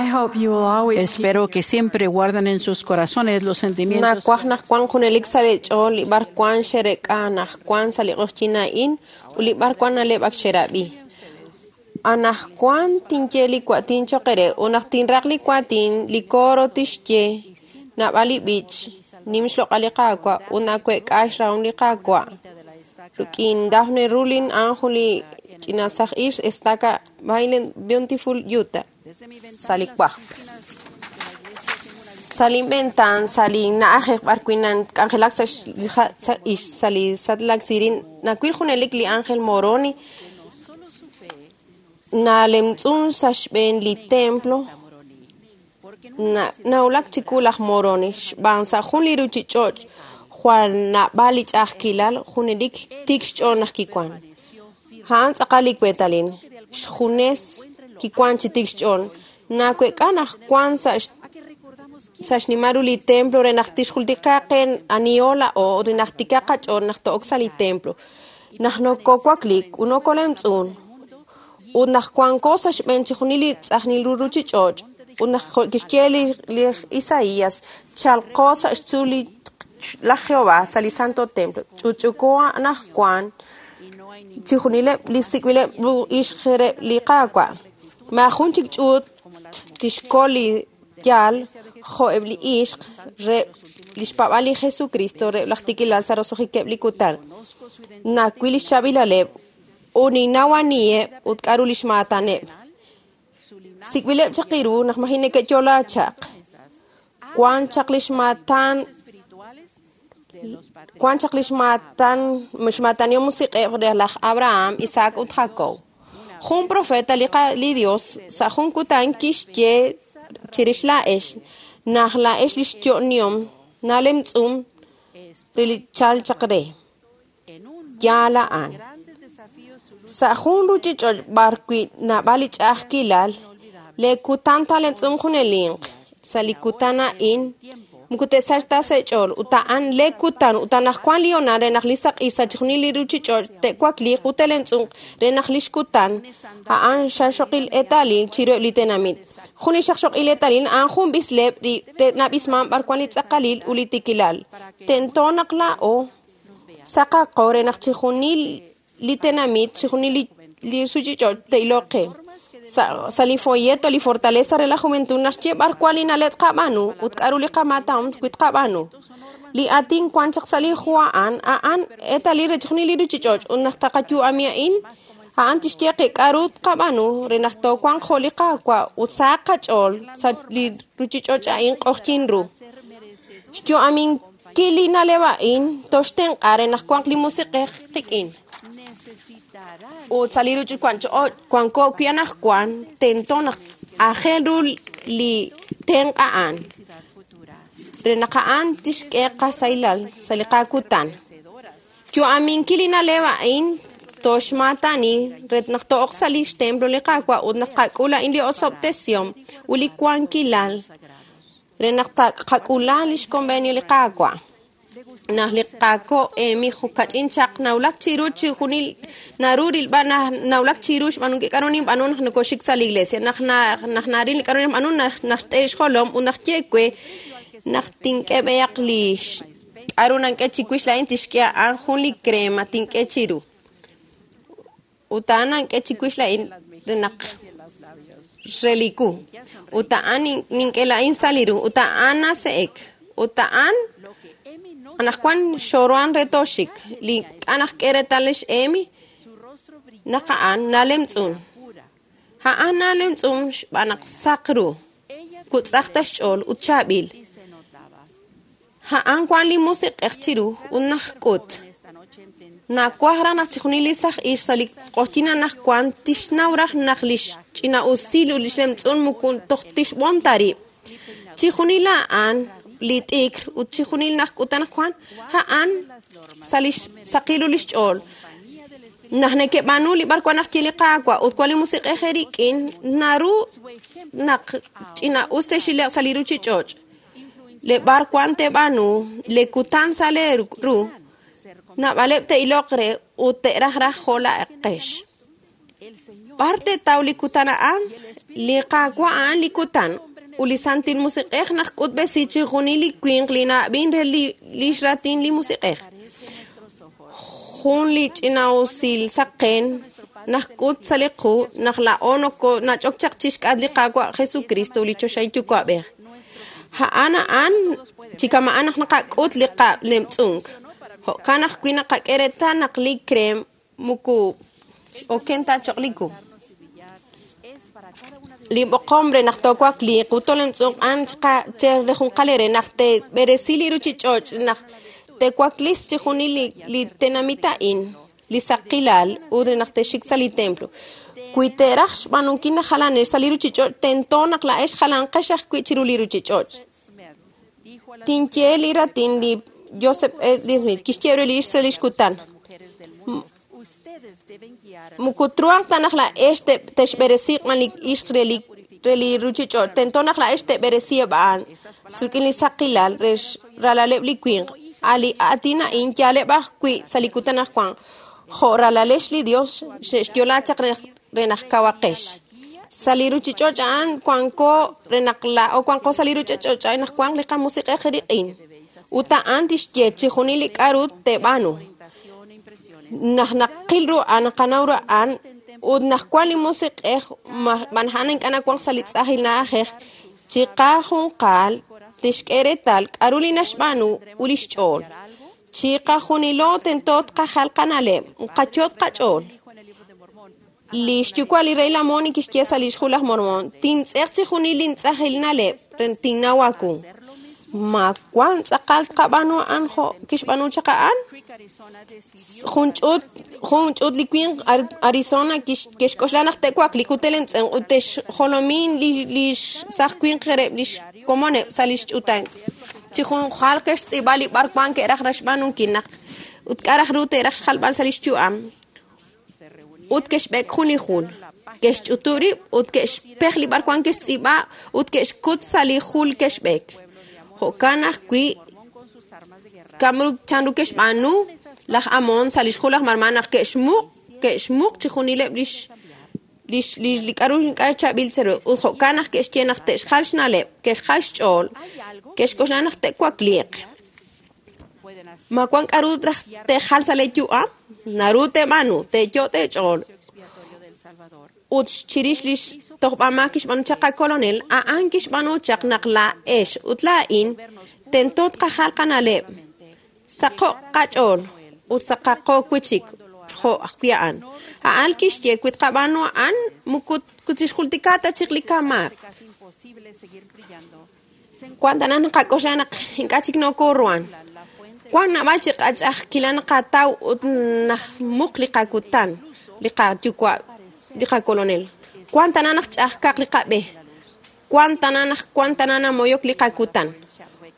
I hope you will always keep Espero que siempre guarden en sus corazones los sentimientos Nawaj naq wan junelik sa' li ch'ool li b'ar wan xerek'a naq wan sa' li q'oqyin a'in ut li b'ar wan na'leb' ak xerab'i. Anajwan tinye li kuatin choq re ut naq tinraq li kuatin li coro tixye naab'al li b'ich nim xloq'al li Qaawa' ut naweek'a xrahom li Qaawa'. Rik'in Daphne Rulin a'an jun li ch'ina saj ix estaca Violent Beautiful Utah sa' li wajb'. Sa' linventaan sa' li na'ajej b'ar wi' nak'anjelak sa' sa' ix sa' li Salt Lake City nawil junelik li Ángel Moroni nalemtz'un sa' xb'een li templo nawulak chiku laj Moroni xb'aan sa' jun li ruchich'och' jwal naab'al li ch'a'ajkilal junelik tik xch'ool naq kiwan. A'an tz'aqal li weetalil xjunes kiwan chi tik xch'ool naweek'a naq wan sa' sa' xnimal ru li templo re naq tixjultika qe aniho laa'o re naq tikaq qach'ool naq to'ok sa' li templo naq nokowaklik ut nokolemtz'un ut naq wanko sa' xb'een chixjunil li tz'ajnil ru ruchich'och' ut naq kixye li Isaías chalqo sa' xtzuul li laj Jehová sa' li Santo Templo ch'utch'uko anajwan chixjunileb' li sik'b'ileb' ru ixq re li Qaawa' maajun chik ch'uut tixkol li yaal jo'eb' li ixq re li xpaab'al li Jesucristo re laj tikilal sa' roso'jikeb' li kutan nawil li xchaab'ilaleb' ut ninnaw aniheb' ut k'a'ru li xmaataneb' sik'b'ileb' chaq iru naq maji neke'yo'la chaq wan chaq li xmaatan wan chaq li xmaatan xmaatanihom musiq'ej re laj Abraham, Isaac ut Jacob. Jun profeta li Dios sa' jun kutan kixye chirix laa'ex naq laa'ex li xyo'nihom nalemtz'un re li chal chaq re. Yaal a'an. Sa' jun ruchich'och' b'ar wi' naab'al li ch'a'ajkilal le kutan talemtz'un junelinq sa' li kutan a'in moko te'sachq ta sa' ch'ool ut a'an le kutan ut anaqwan li honal re naq li saq'ij sa' chixjunil li ruchich'och' te'wakliiq ut te'lemtz'unq re naq li xkutan a'an xaxoqil eetalil chiruheb' li tenamit. Jun li xaqxoqil eetalil a'an jun b'isleb' li nab'isman b'ar wan li tz'aqalil ut li tikilal. Tento naq laa'o saqaqo re naq chixjunil li tenamit chixjunil li ruchich'och' te'iloq qe. Sa' li folleto li fortaleza re la juventud naxye b'ar wan li na'leb' tqab'aanu ut k'a'ru li qamaatan wi tqab'aanu. Li aatin wan chaq sa' li hu a'an a'an eetalil re chixjunil li ruchich'och' ut naq taqayu'ami a'in a'an tixye qe k'a'ru tqab'aanu re naq toowanq jo' li Qaawa' ut sahaq qach'ool sa' li ruchich'och' a'in q'oqyin ru. Xyu'aminkil li na'leb' a'in toxtenq'a re naq wanq li musiq'ej qik'in. Ut sa' li ruchich'och' wanko wi' anaqwan tento naq aajel ru li tenq' a'an re naq a'an tixk'e qasahilal sa' li qakutan. Yu'aminkil li na'leb' a'in toxmaatani re naq to'oq sa' li xtemplo li Qaawa' ut naq qak'ul a'in li osob'tesihom ut li wankilal re naq taqak'ula li xconvenio li Qaawa'. Naq li Qaawa' Emi kach'in chaq nawulak chiru chixjunil naru rilb'al nawulak chiru xb'aanunkil k'a'ru ninb'aanu naq nokoxik sa' li iglesia naq naq naril k'a'ru ninb'aanu naq xt'e xjolom ut naq ye we naq tink'e b'eyaq li k'a'ru nank'e chiwix laa'in tixk'e a'an jun li crema tink'e chiru ut a'an nank'e chiwix laa'in re naq re li ku ut a'an nink'e laa'in sa' li ru ut a'an nase'ek ut a'an anaqwan xoroan re toxik li k'a' naq k'e reetal lix Emi naq a'an nalemtz'un a'an nalemtz'un xb'aan naq saq ru kutz'aj ta xch'ool ut chaab'il a'an wan li musiq'ej chiru ut naq k'ut nawaj raj naq chixjunil li saj ix sa' li q'oqyin anaqwan tixnaw raj naq li xch'ina'usil ut li xlemtz'un moko toj tixb'on ta rib' chixjunil a'an li t'ikr ut chixjunil naq k'utan Juan a'an sa' li saqil ru li xch'ool naq neke'b'aanu li b'ar wan naq ye li Qaawa' ut wan li musiq'ej rik'in naru naq ch'ina'us te'xileq sa' li ruchich'och' le b'ar wan te'b'aanu le kutan sa' le ru naab'aleb' te'iloq re ut te'raj raj jo' laa'eqex. B'ar teetaw li kutan a'an? Li Qaawa' a'an li kutan ut li Santil Musiq'ej naxk'utb'esi chixjunil li winq li na'ab'in re li xraatin li Musiq'ej. Jun li ch'ina'usil saqen naxk'ut sa' li qu naq laa'o nach'ok chaq chixk'atq li Qaawa' Jesucristo li Choxahil Yuwa'b'ej. A'an a'an chi kama'an naq naqak'ut li qalemtz'unk. Jo'kan ajwi' naqak'e reetal naq li krem muku oken ta choq' li ku. Li b'oqom re naq toowakliiq ut toolemtz'unq a'an che rejunqal eere naq teeb'eresi li ruchich'och' naq teewaklis chixjunil li tenamit a'in, li saqilal ut re naq texxik sa' li templo. Wi teeraj xb'aanunkil naq jalanex sa' li ruchich'och' tento naq laa'ex jalanqex ajwi' chiru li ruchich'och'. Tinye li raatin li Joseph Smith kixye re li ixq sa' lix kutan. Muku truhanq ta naq laa'ex texb'eresiiq b'an li ixq re li ruchich'och', tento naq laa'ex teeb'eresiheb' a'an rik'in li saqilal re ralaleb' li winq. A' li aatin a'in yaaleb' ajwi' sa' li kutan anaqwan. Jo' ralalex li Dios xe'xyo'la chaq re naq kawaqex. Sa' li ruchich'och' a'an wanko re naq laa'o wanqo sa' li ruchich'och' a'an naq wanq li qamusiq'ej riq'in. Ut a'an tixye chixjunil li k'a'ru teeb'aanu. Naq naqil ru a'an, naqanaw ru a'an, ut naq wan li musiq'ej b'an a'an ink'a' nawanq sa' li tz'ajil na'ajej, chiqajunqal tixk'e reetal k'a'ru li naxb'aanu ut lix ch'ool. Chiqajunilo tento tqajal qana'leb', qayot' qach'ool. Li xyuwa' li rey Lamoni kixye sa' lix hu laj Mormon, tintz'eq chixjunil lintz'ajil na'leb' re tinnaw aawu. Ma wan tz'aqal tqab'aanu a'an jo' kixb'aanu chaq a'an? Jun ch'uut li winq Arizona ke'xk'oxla naq te'wakliq ut te'lemtz'unq ut te'xjolomin li saj winq reheb' lix komoneb' sa' lix ch'utam. Chi junjunqal ke'xtz'iib'a li b'ar wan ke'raj xb'aanunkil naq ut k'a' raj ru te'raj xjalb'al sa' lix yu'am. Ut ke'xb'ek jun li jul. Ke'xch'utub' rib' ut ke'xpej li b'ar wan ke'xtz'iib'a ut ke'xkut sa' li jul ke'xb'ek. Jo'kan ajwi' chanru ke'xb'aanu laj Amon sa' lix hu laj Mormon naq ke'xmuq chixjunileb' li k'a'ru ink'a' chaab'il chiru. Ut jo'kan naq ke'xye naq te'xjal xna'leb', ke'xjal xch'ool, ke'xk'oxla naq te'wakliiq. Ma wan k'a'ru raj te'jal sa' lee yu'am? Naru teeb'aanu, teeyot' eech'ool. Ut chirix lix tojb'amaak kixb'aanu chaq qakolonel, a'an kixb'aanu chaq naq laa'ex ut laa'in tento tqajal qana'leb', saqo'q qach'ool ut saqaqo wi'chik jo' ajwi' a'an. A'an kixye wi tqab'aanu a'an muku tixjultika ta chik li kamaak. Wan tana naqak'oxla naq ink'a' chik nokoruhan. Wan naab'al chi qach'a'ajkilal naqataw ut naxmuq li qakutan, li qayuwa', li qakolonel. Wan tana naq ch'a'ajkaq li qab'e. Wan tana naq wan tana namoyok li qakutan.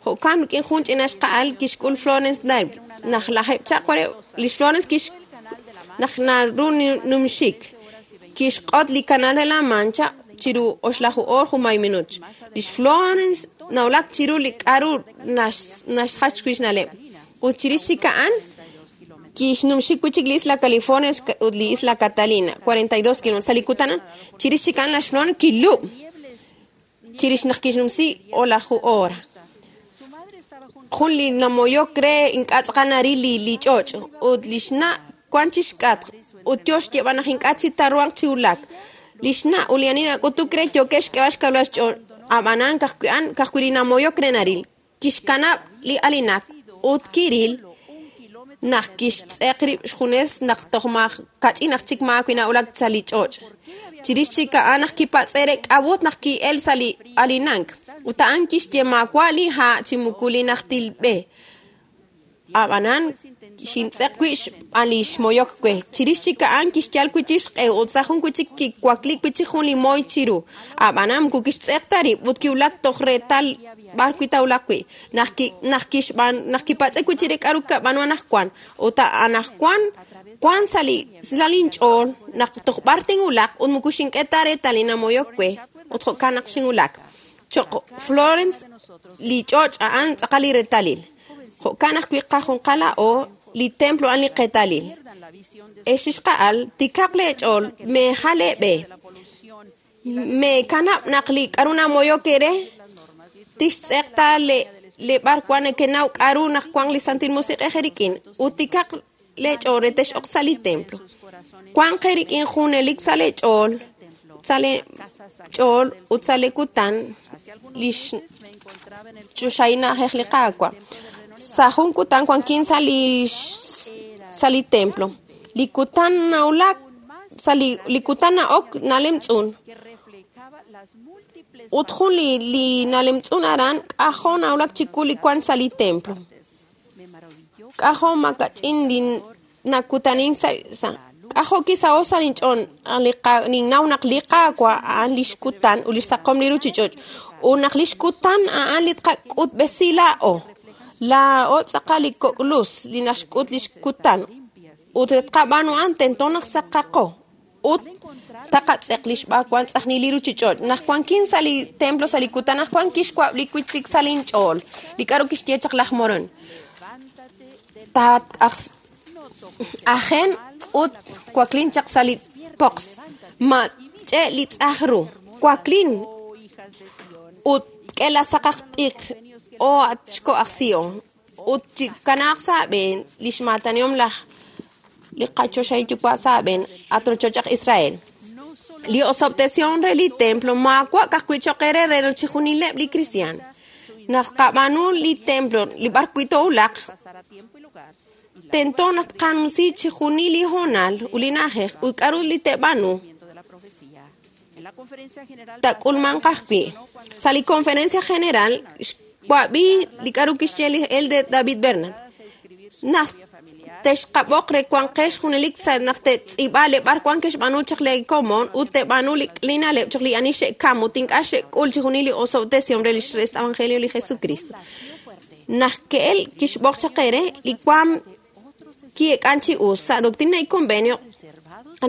Jo'kan rik'in jun ch'ina xqa'al kixk'ul Florence Dale naq lajeb' chaq ware lix Florence kix naq naru numxik kixq'ot li canal de la Mancha chiru oxlaju oor junmay minuut. Lix Florence nawulak chiru li k'a'ru naxjach wi' xna'leb'. Ut chirix chik a'an kixnumxik wi'chik li Isla California ut li Isla Catalina, 42 kilómetros. Sa' li kutan chirix chik a'an laj Florence kilub' chirix naq kixnumsi olaju hora. Jun li namoyok re ink'a' tz'aqal naril li ch'och' ut lix na' wan chixk'atq ut yo xyeeb'al naq ink'a' chi taruhanq chi wulak. Lix na' ut li ani nak'utuk re yookeb' xk'eeb'al xkawilal xch'ool, ab'anan ka'ajwi' li namoyok re naril. Kixkanab' li alinak ut kiril naq kixtz'eq rib' xjunes naq toj kach'in aj chik maawi' nawulak sa' li ch'och'. Chirix chik a'an naq kipatz'e re k'a'ut naq ki'el sa' li alinank. Ut a'an kixye maawa' li ha' chi muku li najtil b'e. Ab'anan xintz'eq wi' xb'aan li xmoyok we. Chirix chik a'an kixyal wi'chik xq'e ut sa' jun wi'chik kiwakli wi'chik jun li moy chiru. Ab'anan muku kixtz'eq ta rib' ut kiwulak toj reetal b'ar wi' tawulaq wi'. Naq kipatz'e wi'chik re k'a'ru kab'aanu anaqwan. Ut anaqwan wan sa' linch'ool naq toj b'ar tinwulaq ut muku xink'e ta reetal li namoyok we ut jo'kan naq xinwulak. Choq' Florence li ch'och' a'an tz'aqal li reetalil. Jo'kan ajwi' qajunqal laa'o li templo a'an li qeetalil. Ex ixqa'al tikaq leech'ool meejal eeb'e meekanab' naq li k'aru namoyok eere tixtz'eqta le b'ar wan nekenaw k'aru naq wank li Santil Musiq'ej eerik'in ut tikaq leech'ool re tex'oq sa' li templo. Wanq eerik'in junelik sa' leech'ool sa' leech'ool ut sa' lekutan li xchoxahil na'ajej li Qaawa'. Sa' jun kutan wankin sa' li templo. Li kutan nawulak sa' li kutan na'ok nalemtz'un. Ut jun li nalemtz'un aran k'ajo' nawulak chiwu li wank sa' li templo. K'ajo' makach'in li nakutanin sa'. K'ajo' kisaho' sa' linch'ool ninnaw naq li Qaawa' a'an li xkutan ut li xsaqom li ruchich'och' ut naq li xkutan a'an li tqak'utb'esi laa'o. Laa'o tz'aqal li kok' luz li naxk'ut li xkutan ut re tqab'aanu a'an tento naq saqaqo ut taqatz'eq li xb'aawan tz'ajnil li ruchich'och'. Naq wankin sa' li templo sa' li kutan naq wan kixwab' li wichik sa' linch'ool li k'aru kixye chaq laj Morón. Ajen ut waklin chaq sa' li poqs. Ma ch'e' li tz'aj ru. Waklin ut k'e la saqaq t'iq o at xko' aj Sion ut chikanaaq sa' aab'een li xmaataniom laj li qachoxahil yuwa' sa' aab'een at rochoch aj Israel. Li osob'tesihom re li templo maawa' ka'ajwi' cho'q eere re chixjunileb' li kristiaan. Naq qab'aanu li templo li b'ar wi' toowulaq tento naq tqanumsi chixjunil li hoonal ut li na'ajej ut k'aru li te'b'aanu tak'ulmanq ajwi'. Sa' li conferencia general xwab'i li k'aru kixye li elder David Bernard. Naq texqab'oq re wanqex junelik sa' naq te'tz'iib'a le b'ar wan ke'xb'aanu chaq le komon ut te'b'aanu li na'leb' choq li ani xe'kam ut ink'a' xe'k'ul chixjunil li osob'tesihom re li evangelio li Jesucristo. Naq ke'el kixb'oq chaq eere li waam ki'ek'an chi us sa' doctrina y convenio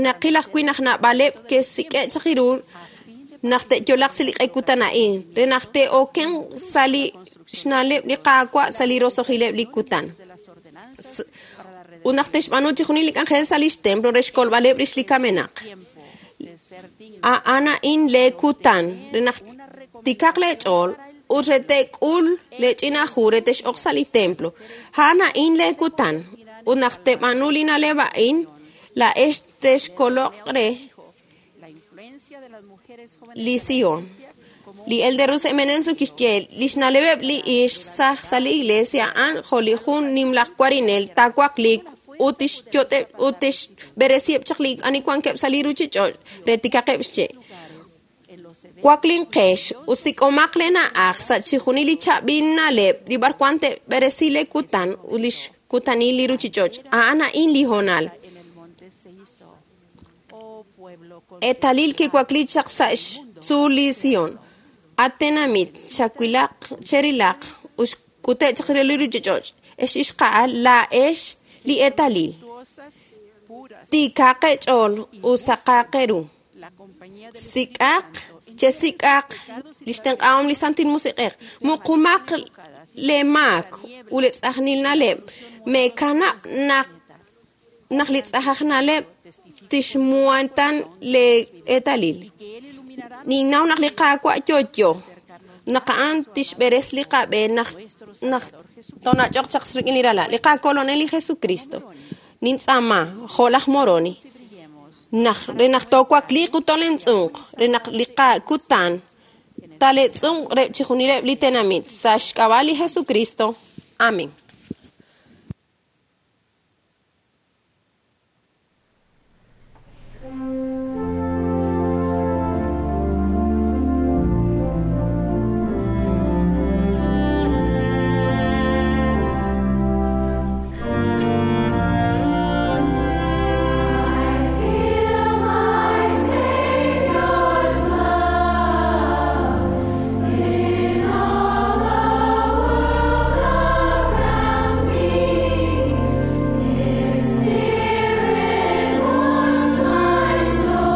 naqil ajwi' naq naab'aleb' ke'sik'e' chaq ru naq te'yolaq sa' li q'e kutan a'in re naq te'oken sa' li xna'leb' li Qaawa' sa' li roso'jileb' li kutan. Ut naq te'xb'aanu chixjunil li k'anjel sa' lix templo re xkolb'aleb' rix li kamenaq. A'an a'in lee kutan re naq tikaq leech'ool ut re te'k'ul leech'ina hu re tex'oq sa' li templo. A'an a'in lee kutan ut naq te'b'aanu li na'leb' a'in laa'ex texkoloq re li Sion. Li elder Russell M. Nelson kixye li xna'leb'eb' li ixq saj sa' li iglesia a'an jo' li jun nimlaj warinel taawaqliik ut tixb'eresiheb' chaq li ani wankeb' sa' li ruchich'och' re tikaqeb' xche'. Waklinqex ut sik'omaq lee na'aj sa' chixjunil li chaab'il na'leb' li b'ar wan te'b'eresi lee kutan ut li xkutanil li ruchich'och'. A'an a'in li hoonal. Eetalil kiwakli chaq sa' xtzuul li Sion. At tenamit chawilaq cherilaq ut xk'ute' chaq re li ruchich'och'. Ex ixqa'al laa'ex li eetalil. Tiikaq eech'ool ut saqaq eeru. Sik'aq chesik'aq li xtenq'ahom li Santil Musiq'ej. Muqumaq leemaak ut li tz'ajnil na'leb'. Meekanab' naq li tz'ajaj na'leb' tixmuhantan lee eetalil. Ninnaw naq li Qaawa' yo'yo. Naq a'an tixb'eres li qab'e naq tonach'oq chaq rik'in li ralal. Li qakolonel li Jesucristo. Nintz'aama jo' laj Moroni. Naq re naq toowakliiq ut tolemtz'unq re naq li qakutan taletz'unq re chixjunileb' li tenamit sa' xk'ab'a' li Jesucristo. Amén. Spirit warms my soul.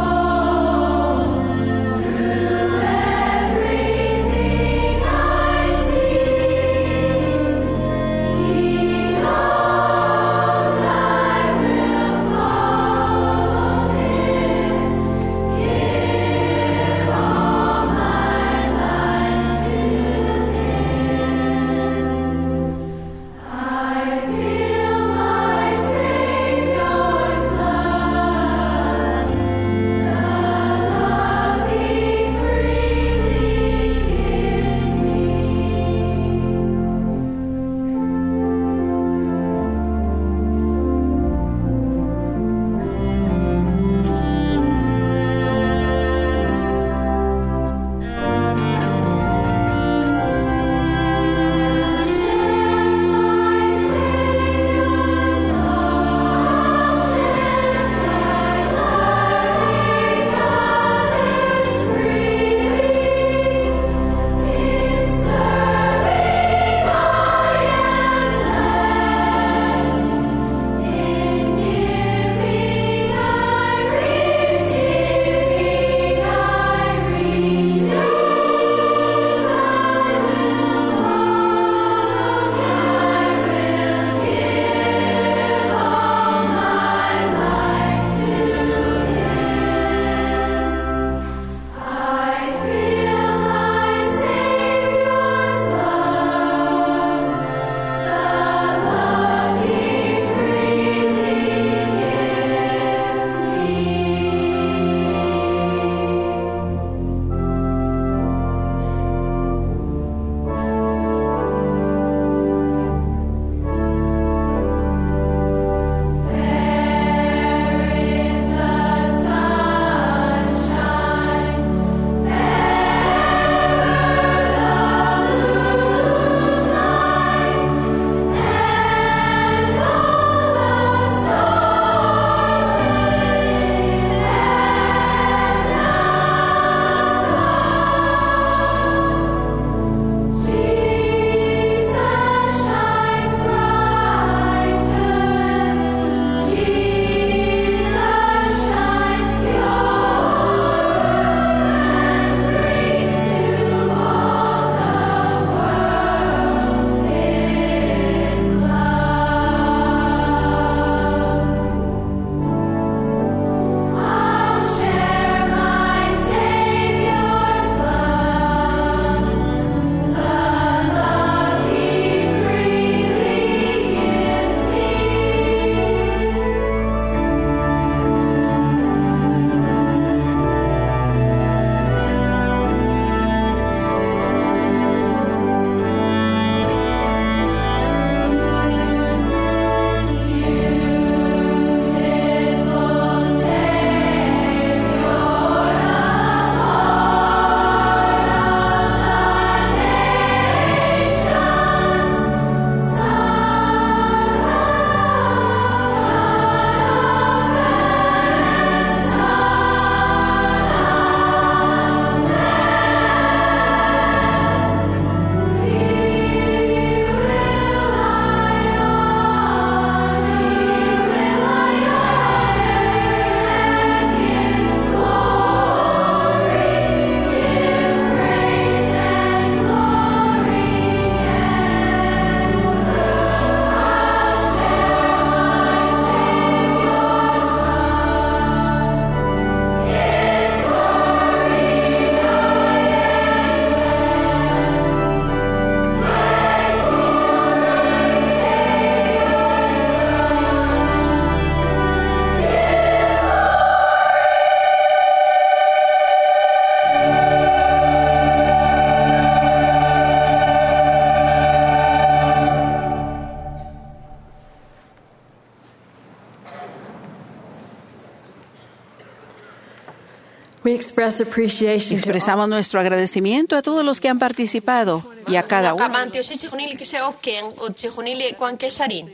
We express appreciation to all Expresamos nuestro agradecimiento a todos los que han participado y a cada uno. Naqab'antioxi chijunil li kixe'oken ut chijunil li wankex arin.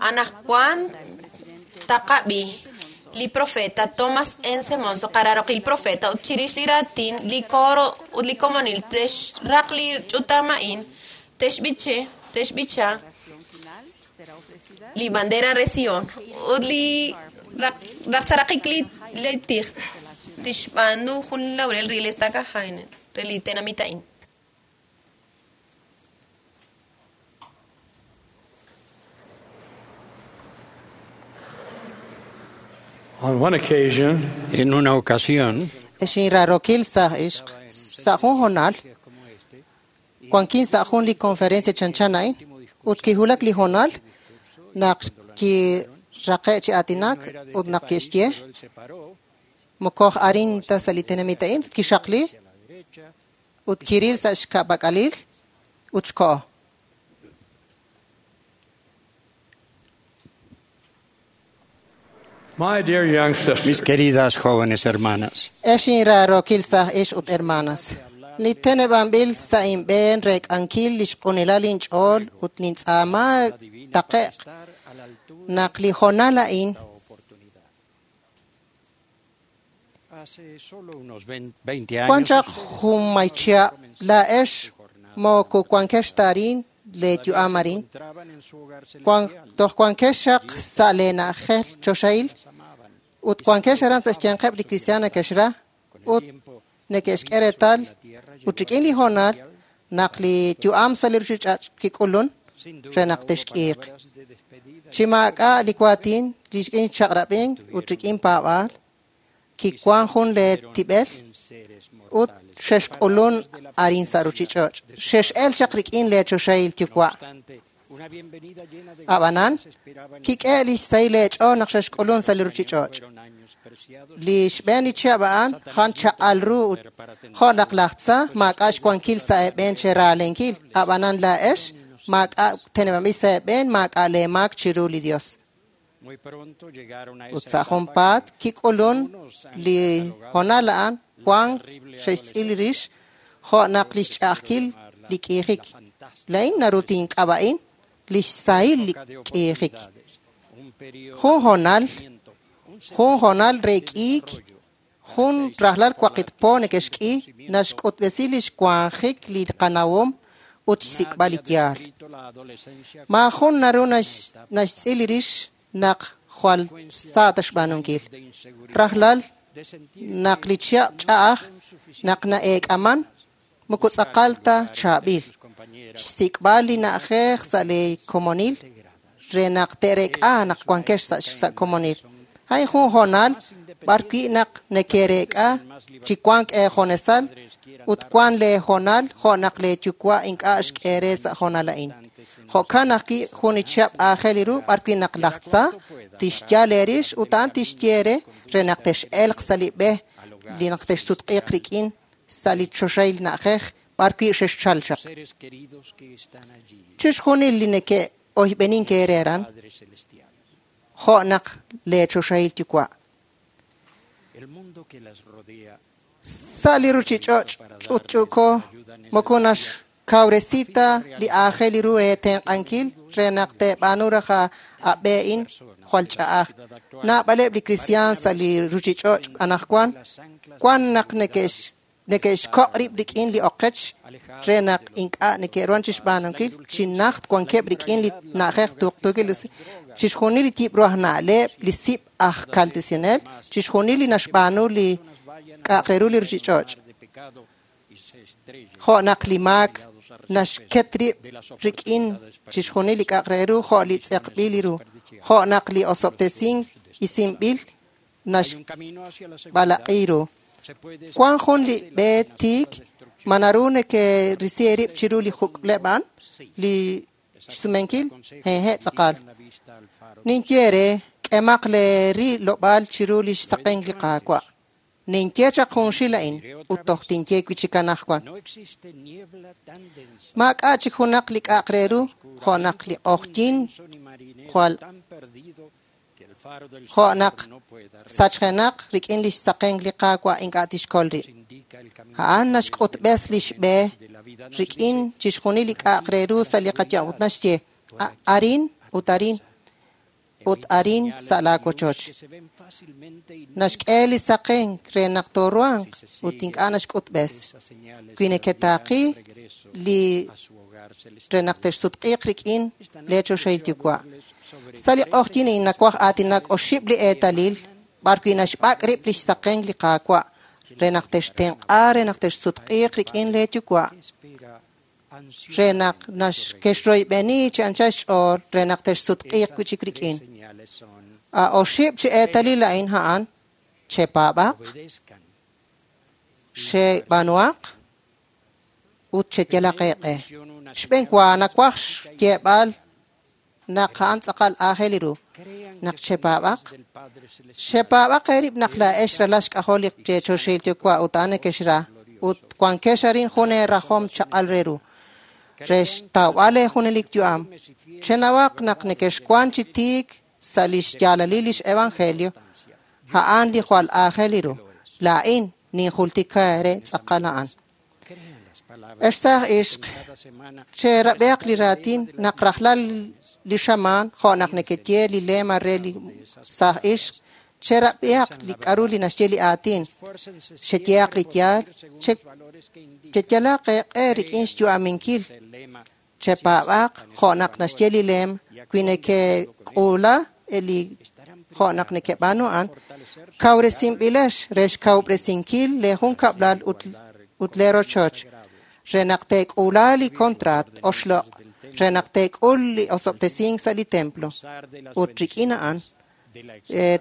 Anaqwan taqab'i li profeta Thomas N. Monson qararoq il profeta ut chirix li raatin li coro ut li komonil texraq li ch'utam a'in texb'iche texb'icha li bandera re Sion ut li raqsaraqik li li tij tixb'aanu jun laurel re li estaca Jainen re li tenamit a'in. On one occasion, En una ocasión, Exinrarokil saj ixq sa' jun jonal wankin sa' jun li conferencia chanchan a'in ut kijulak li jonal naq kiraqe' chi aatinak ut naq kixye mokoj arin ta sa' li tenamit a'in ut kixaqli ut kiril sa' xka'pak'alil ut xko'o. my dear young mis sisters, queridas jóvenes hermanas, Exinrarokil saj ix ut hermanas. Li teneb'anb'il sa' inb'een reek'ankil li xq'unilal inch'ool ut nintz'aama taqe'q naq li jonal a'in hace solo unos 20 wan años, chaq junmaychia laa'ex moko wankex ta arin le yu'am arin entraban en su hogar wan celestial, toj wankex xaq sa' le na'ajej choxahil ut wankex aran sa' xyanqeb' li cristian neke'xra ut neke'xk'e reetal ut rik'in li hoonal naq li yu'am sa' li ruuchich'och' kik'ulun sin duda re naq hubo texk'iiq. palabras de despedida Chi maak'a' li waatin li rik'in chaq'rab'ink ut rik'in paab'aal kiwan jun le tib'el en seres ut mortales. xexk'ulun arin sa' ruuchich'och'. Xex'el chaq rik'in le choxahil No yuwa'. obstante, una bienvenida llena de Ab'anan, gracia esperaba en kik'e' li xsahil leech'ool naq xexk'ulun sa' li ruuchich'och'. fueron años preciados Li xb'een li chihab' a'an jan chaq'al ru ut jo' naq laj tza maak'a' xwankil sa' eeb'een cheraalenkil. Ab'anan laa'ex maak'a' teneb'anb'il sa' eeb'een maak'a' leemaak chiru li Dios. Muy pronto llegaron a Ut esa sa' etapa junpaat que kik'ulun algunos han li catalogado hoonal a'an la wan terrible xe'xtz'il adolescencia, rix jo' naq li xch'a'ajkil li k'iijik. la fantástica La'in naru tink'ab'a'in li xsahil li época de k'iijik. oportunidades, un periodo Jun de hoonal, crecimiento, un jun hoonal sentimiento re de k'iik, desarrollo, jun rajlal waqit po neke'xk'i naxk'utb'esi li xwanjik li qanawom ut xsik'b'al Nadie li ha yaal. descrito la adolescencia Maajun como naru una nax- etapa naxtz'il rix naq jwal sa' ta xb'aanunkil. de inseguridad, Rajlal de sentir naq que li chihab' no ch'a'aj son suficientes naq na'eek'aman moko tz'aqal ta lugar entre chaab'il. sus compañeras Xsik'b'al li na'ajej sa' li komonil re naq te'reek'a naq wankex sa' sa' komonil. A'in jun hoonal b'ar wi' naq neke'reek'a chi wank eejonesal ut wan lee hoonal jo' naq lee yuwa' ink'a' xk'e re sa' hoonal a'in. Jo'kan ajwi' jun li chihab' aajel ru b'ar wi' naq laj tza tixyal eerix ut a'an tixye re re naq tex'elq sa' li b'e li naq texsutq'iiq rik'in sa' li choxahil na'ajej b'ar wi' xexchal chaq. seres queridos que están allí, Chixjunil li neke'oyb'enink eere aran Padre Celestial. jo' naq lee choxahil yuwa'. El mundo que las rodea Sa' li ruuchich'och' ch'utch'uuko moko naxkawresi ta li aajel ru re tenq'ankil re naq teeb'aanu raj ab'e'in jwal ch'a'aj. Naab'aleb' li kristiaan sa' li ruuchich'och' anaqwan wan naq neke'x neke'xkoq' rib' rik'in li oqech re naq ink'a' neke'ruhan chixb'aanunkil chi najt wankeb' rik'in li na'ajej tuqtuukil chixjunil li yib' ru aj na'leb' li sib' aj kaltesinel chixjunil li naxb'aanu li k'a'aq re ru li ruuchich'och'. de pecado y se estrellen Jo' naq li maak naxket rib' rik'in chixjunil li k'a'aq re ru jo' li tz'eqb'il ru jo' naq li osob'tesink isinb'il Hay un camino hacia la seguridad. naxb'alaq'i ru. Se puede Wan jun li escapar de b'e las amenazas tiik destrucción. ma naru neke'risi eerib' chiru li juk'leb' a'an li xsumenkil hehe' tz'aqal. Dirijan la vista al faro. Ninye re k'emaq le rilob'aal chiru li xsaqenk li Qaawa'. Ninye chaq junxil a'in ut toj tinye wi' chik anaqwan. No existe niebla tan densa, Maak'a' chik junaq li k'a'aq re ru jo' naq li q'ojyin ni marinero jwal tan perdido que el Jo' naq sachjenaq rik'in lix saqenk li Qaawa' ink'a' tixkol rib'. A'an naxk'utb'es lix b'e rik'in chixjunil li k'a'aq re ru sa' li qayu'am ut naxye arin ut arin ut arin sa' laa wochoch. Naxk'e li saqenk re naq tooruhanq ut ink'a' naxk'utb'es. Wi neketaaqi li re naq texsutq'iiq rik'in lee choxahil yuwa'. Sa' li q'ojyin a'in nawaj aatinak oxib' li eetalil b'ar wi' naxb'ak' rib' lix saqenk li Qaawa' re naq textenq'a re naq texsutq'iiq rik'in lee yuwa' re naq kexroyb'eni chi anchal xch'ool re naq texsutq'iiq wi' chik rik'in. A oxib' chi eetalil a'in a'an chepaab'aq, xeb'aanuhaq ut cheyalaq eeq'e. Xb'een wa nawaj xyeeb'al naq a'an tz'aqal aajel ru naq chepaab'aq. Xepaab'aq eerib' naq laa'ex ralal xk'ajol li choxahil yuwa' ut a'an nekexra ut wankex arin jun eerajom chaq'al re ru re xtawb'al leejunelik yu'am. Chenawaq naq nekexwan chi tiik sa' lix yaalalil lix evangelio a'an li jwal aajel ru. Laa'in ninjultika eere tz'aqal a'an. Ex saaj ixq, cherab'ehaq li raatin naq rajlal li xamaan jo' naq nekeye li lema re li saaj ixq, cherab'ehaq li k'a'ru li naxye li aatin, xeyehaq li yaal, cheyalaq eeq'e rik'in xyu'aminkil, chepaab'aq jo' naq naxye li lem, wi nekek'uula li jo' naq nekeb'aanu a'an, kawresinb'ilex re xkawub'resinkil leejunkab'lal ut leerochoch, re naq teek'uula li kontraat oxloq', re naq teek'ul li osob'tesink sa' li templo. Ut rik'in a'an,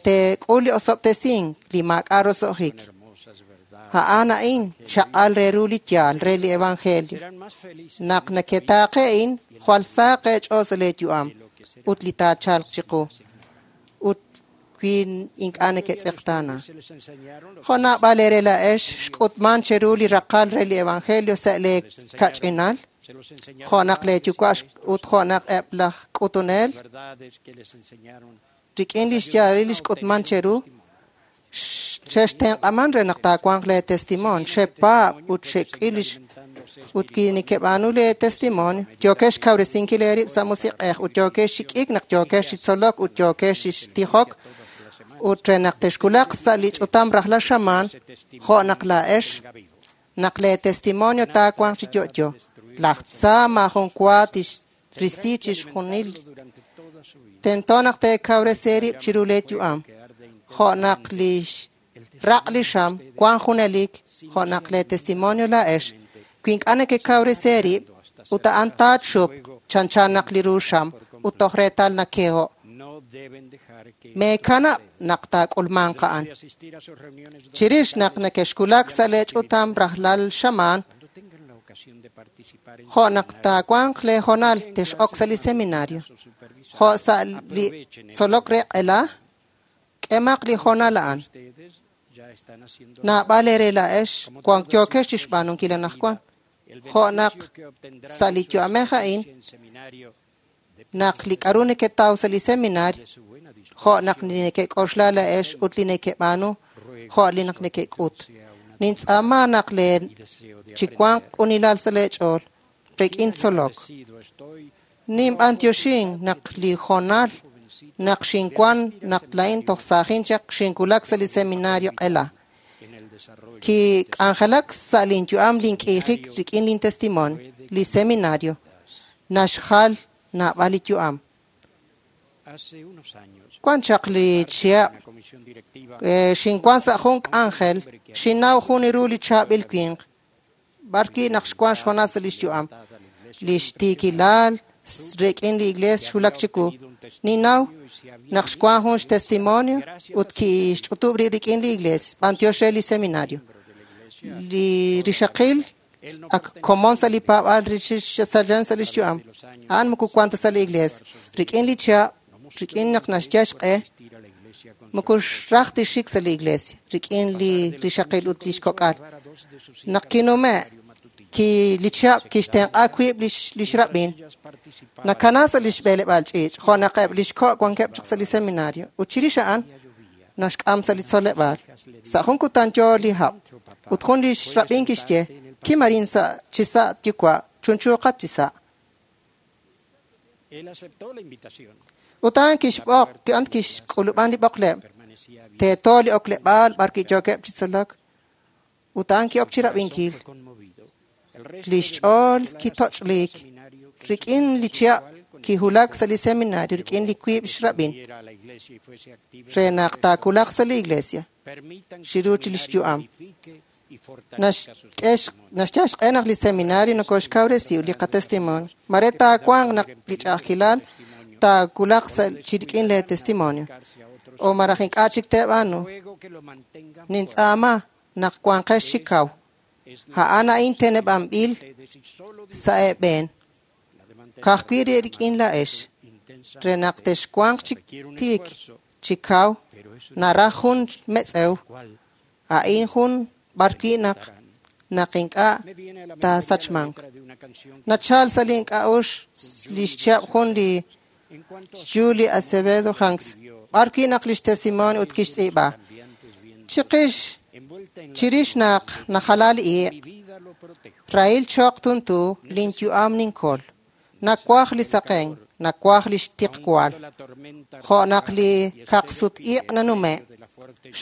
teek'ul li osob'tesink li maak'a' roso'jik. A'an a'in chaq'al re ru li yaal re li evangelio. Naq neketaaqe a'in, jwal saaq eech'ool sa' leeyu'am ut li taachalq chiqu. Ut wi ink'a' neketz'eqtaana. Jo' naab'al eere laa'ex xk'utman cheru li raqal re li evangelio sa' lee kach'inal, jo' naq leeyuwa' ut jo' naq eb' laj k'utunel rik'in lix yaalalil li xk'utman cheru, xextenq'aman re naq taawanq lee testimonio, xepaab' ut xek'il lix ut ki nekeb'aanu lee testimonio, yookex xkawresinkil eerib' sa' musiq'ej ut yookex chi k'iik naq yookex chi tzolok ut yookex chi tijok ut re naq texkulaq sa' li ch'utam rajlal xamaan jo' naq laa'ex naq lee testimonio taawanq chi yo'yo. Laj tza maajun wa tixrisi chixjunil. Tento naq teekawresi eerib' chiru lee yu'am jo' naq lix raq' li xam wan junelik jo' naq lee testimonio laa'ex. Wi ink'a' nekekawresi eerib' ut a'an taachup chanchan naq li ru xam ut toj reetal nakeho'. Meekanab' naq taak'ulmanq a'an. Chirix naq nekexkulak sa' lee ch'utam rajlal xamaan, jo' naq taawanq lee hoonal tex'ok sa' li seminario, jo' sa' li tzolok re q'ela, k'emaq li hoonal a'an. Naab'al eere laa'ex wank yookex chixb'aanunkil anaqwan. Jo' naq sa' li yu'amej a'in, naq li k'a'ru neketaw sa' li seminario, jo' naq li nekek'oxla laa'ex ut li nekeb'aanu, jo' li naq nekek'ut. Nintz'aama naq lee chiwanq q'unilal sa' lee ch'ool rik'in tzolok. Ninb'antioxin naq li hoonal naq xinwan naq laa'in toj saajin chaq xinkulak sa' li seminario q'ela. Kik'anjelak sa' linyu'am link'iijik rik'in lin testimonio, li seminario naxjal naab'al li yu'am. Wan chaq li chihab' xinwan sa' jun k'anjel, xinnaw jun ru li chaab'il winq, b'ar wi' naq xwan xhoonal sa' lix yu'am. Lix tiikilal rik'in li iglees xwulak chiwu. Ninnaw naq xwan jun xtestimonio ut kixch'utub' rib' rik'in li iglees, b'antiox re li seminario. Li rixaqil ak komon sa' li paab'aal salan sa' lix yu'am. A'an moko wan ta sa' li iglees. Rik'in li chihab', rik'in naq naxyal xq'e, moko xraj tixik sa' li iglesia, rik'in li rixaqil ut lix kok'al. Naq kinume' Li chihab' kixtenq'a wiib' lix rab'in. Nakana sa' lix b'eleb'aal ch'iich', jo' naq eb' lix ko' wankeb' chaq sa' li seminario. Ut chirix a'an naxk'am sa' li tzoleb'aal. Sa' jun kutan yo li hab'. Ut jun lix rab'in kixye, kimarin sa' chisa' yuwa', chunchuuqat chisa'. Ut a'an kixb'oq, a'an kixk'ulub'an li b'oqleb'. Teeto li okleb'aal b'ar wi' yookeb' chi tzolok. Ut a'an ki'ok chi rab'inkil. Lix ch'ool kitoch'liik rik'in li chihab' kihulak sa' li seminario rik'in li wiib' xrab'in re naq taakulaq sa' li iglesia chiru chi lix yu'am. Naxyal xq'e naq li seminario nokoxkawresi ut li qatestimonio. Mare taawanq naq li ch'a'ajkilal taakulaq sa' chi rik'in lee testimonio. O maraj ink'a' chik teeb'aanu. Nintz'aama naq wanqex chi kaw. A'an a'in teneb'anb'il sa' eeb'een. Ka'ajwi' re rik'in laa'ex. Re naq texwanq chi tiik chi kaw, naraj jun metz'ew. A'in jun b'ar wi' naq ink'a' taasachmanq. Nachal sa' li ink'a'uxl lix chihab' jun li Julie Acevedo Hanks, b'ar wi' naq lix testimonio ut kixtz'iib'a. Chiqix chirix naq najala li iq', rahil choq tuntu lin yu'am ninkol. Nakwaj li saqen, nakwaj li xtiqwal. Jo' naq li kaqsut iq' nanume',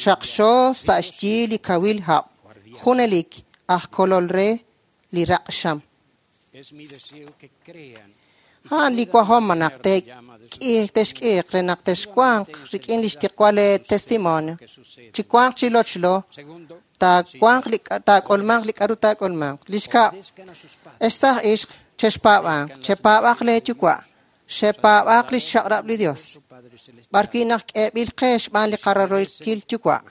xaqxo sa' xyi li kawil hab'. Junelik aj kolol re li raq' xam. A'an li wajom naq texk'iiq re naq texwanq rik'in li xtiqwal lee testimonio. Chiwanq chi lochlo, taak'ulmanq li k'a'ru taak'ulmanq. Lix kab', ex saj ixq, chexpaab'anq, chepaab'aq lee yuwa', xepaab'aq lix chaq'rab' li Dios. B'ar wi' naq k'eeb'il qe xb'aan li qararooykil yuwa'.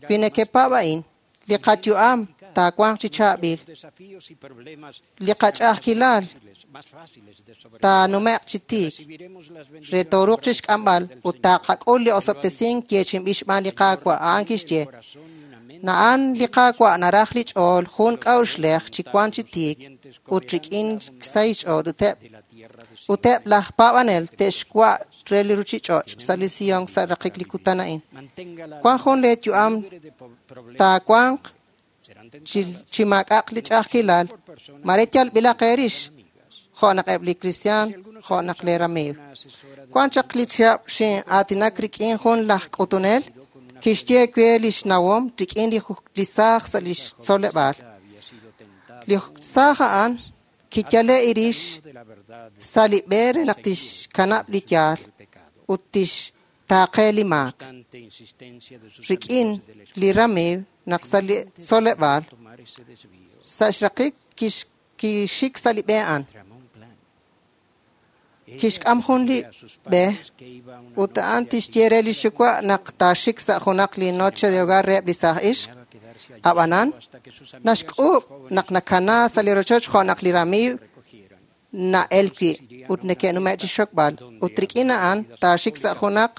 Wi nekepaab' a'in, li qayu'am taawanq chi chaab'il. Li qach'a'ajkilal taanume'q chi tiik. Re tooruuq chi xk'amb'al ut taaqak'ul li osob'tesink yeechi'inb'il xb'aan li Qaawa'. A'an kixye, na'an li Qaawa' naraj li ch'ool jun k'a'uxlej chi wank chi tiik ut rik'in xsahil ch'ool ut eb' laj paab'anel te'xwa' re li ruchich'och' sa' li Sion sa' raqik li kutan a'in. Wan jun lee yu'am taawanq chi maak'a'aq li ch'a'ajkilal, mare yalb'ilaq eerix, jo' naq eb' li kristiaan, jo' naq lee ramiiw. Wan chaq li chihab' xin'aatinak rik'in jun laj k'utunel, kixye we lix nawom rik'in li saaj sa' lix tzoleb'aal. Li saaj a'an kiyale' irix sa' li b'e re naq tixkanab' li yaal ut tixtaaqe li maak. Rik'in li ramiiw naq sa' li tzoleb'aal, sa' xraqik kixik sa' li b'e a'an. Kixk'am jun li b'e ut a'an tixye re lix yuwa' naq taaxik sa' junaq li noche de hogar reheb' li saaj ixq. Ab'anan, naxk'uub' naq nakana sa' li rochoch jo' naq li ramiiw na'el wi' ut neke'nume' chi xokb'al. Ut rik'in a'an taaxik sa' junaq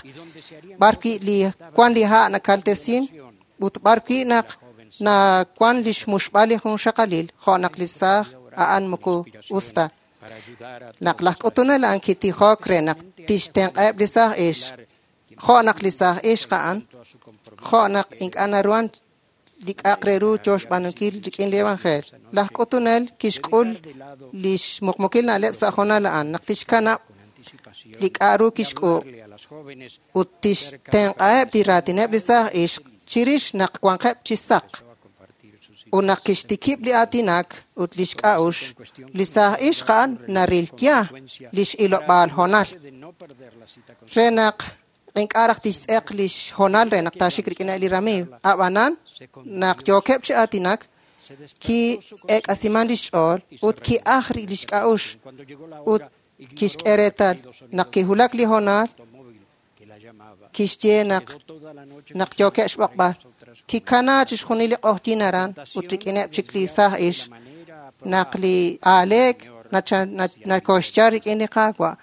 b'ar wi' li wan li ha' nakaltesin ut b'ar wi' naq nawan lix muxb'al li jun xaqalil jo' naq li saaj a'an moko us ta. Naq laj k'utunel a'an kitijok re naq tixtenq'eb' li saaj ixq, jo' naq li saaj ixq a'an, jo' naq ink'a' naruhan li k'a'aq re ru yo xb'aanunkil rik'in li evangelio. Laj k'utunel kixk'ul lix muqmukil na'leb' sa' jonal a'an naq tixkanab' li k'a' ru kixk'uub' ut tixtenq'aheb' li raatineb' li saaj ixq chirix naq wanqeb' chi saq. Ut naq kixtikib' li aatinak ut lix k'a'ux, li saaj ixq a'an narilya lix ilob'aal honal. Re naq ink'a' raj tixtz'eq lix honal re naq taaxik rik'ineb' li ramiiw. Ab'anan, naq yookeb' chi aatinak, ki'eek'asiman lix ch'ool ut ki'aj lix k'a'ux ut kixk'e reetal naq kihulak li honal, kixye naq yookeb' xb'oqb'al. Kikana chixjunil li q'ojyin aran ut rik'ineb' chik li saaj ixq naq li aaleek nakoxchal rik'in li Qaawa'.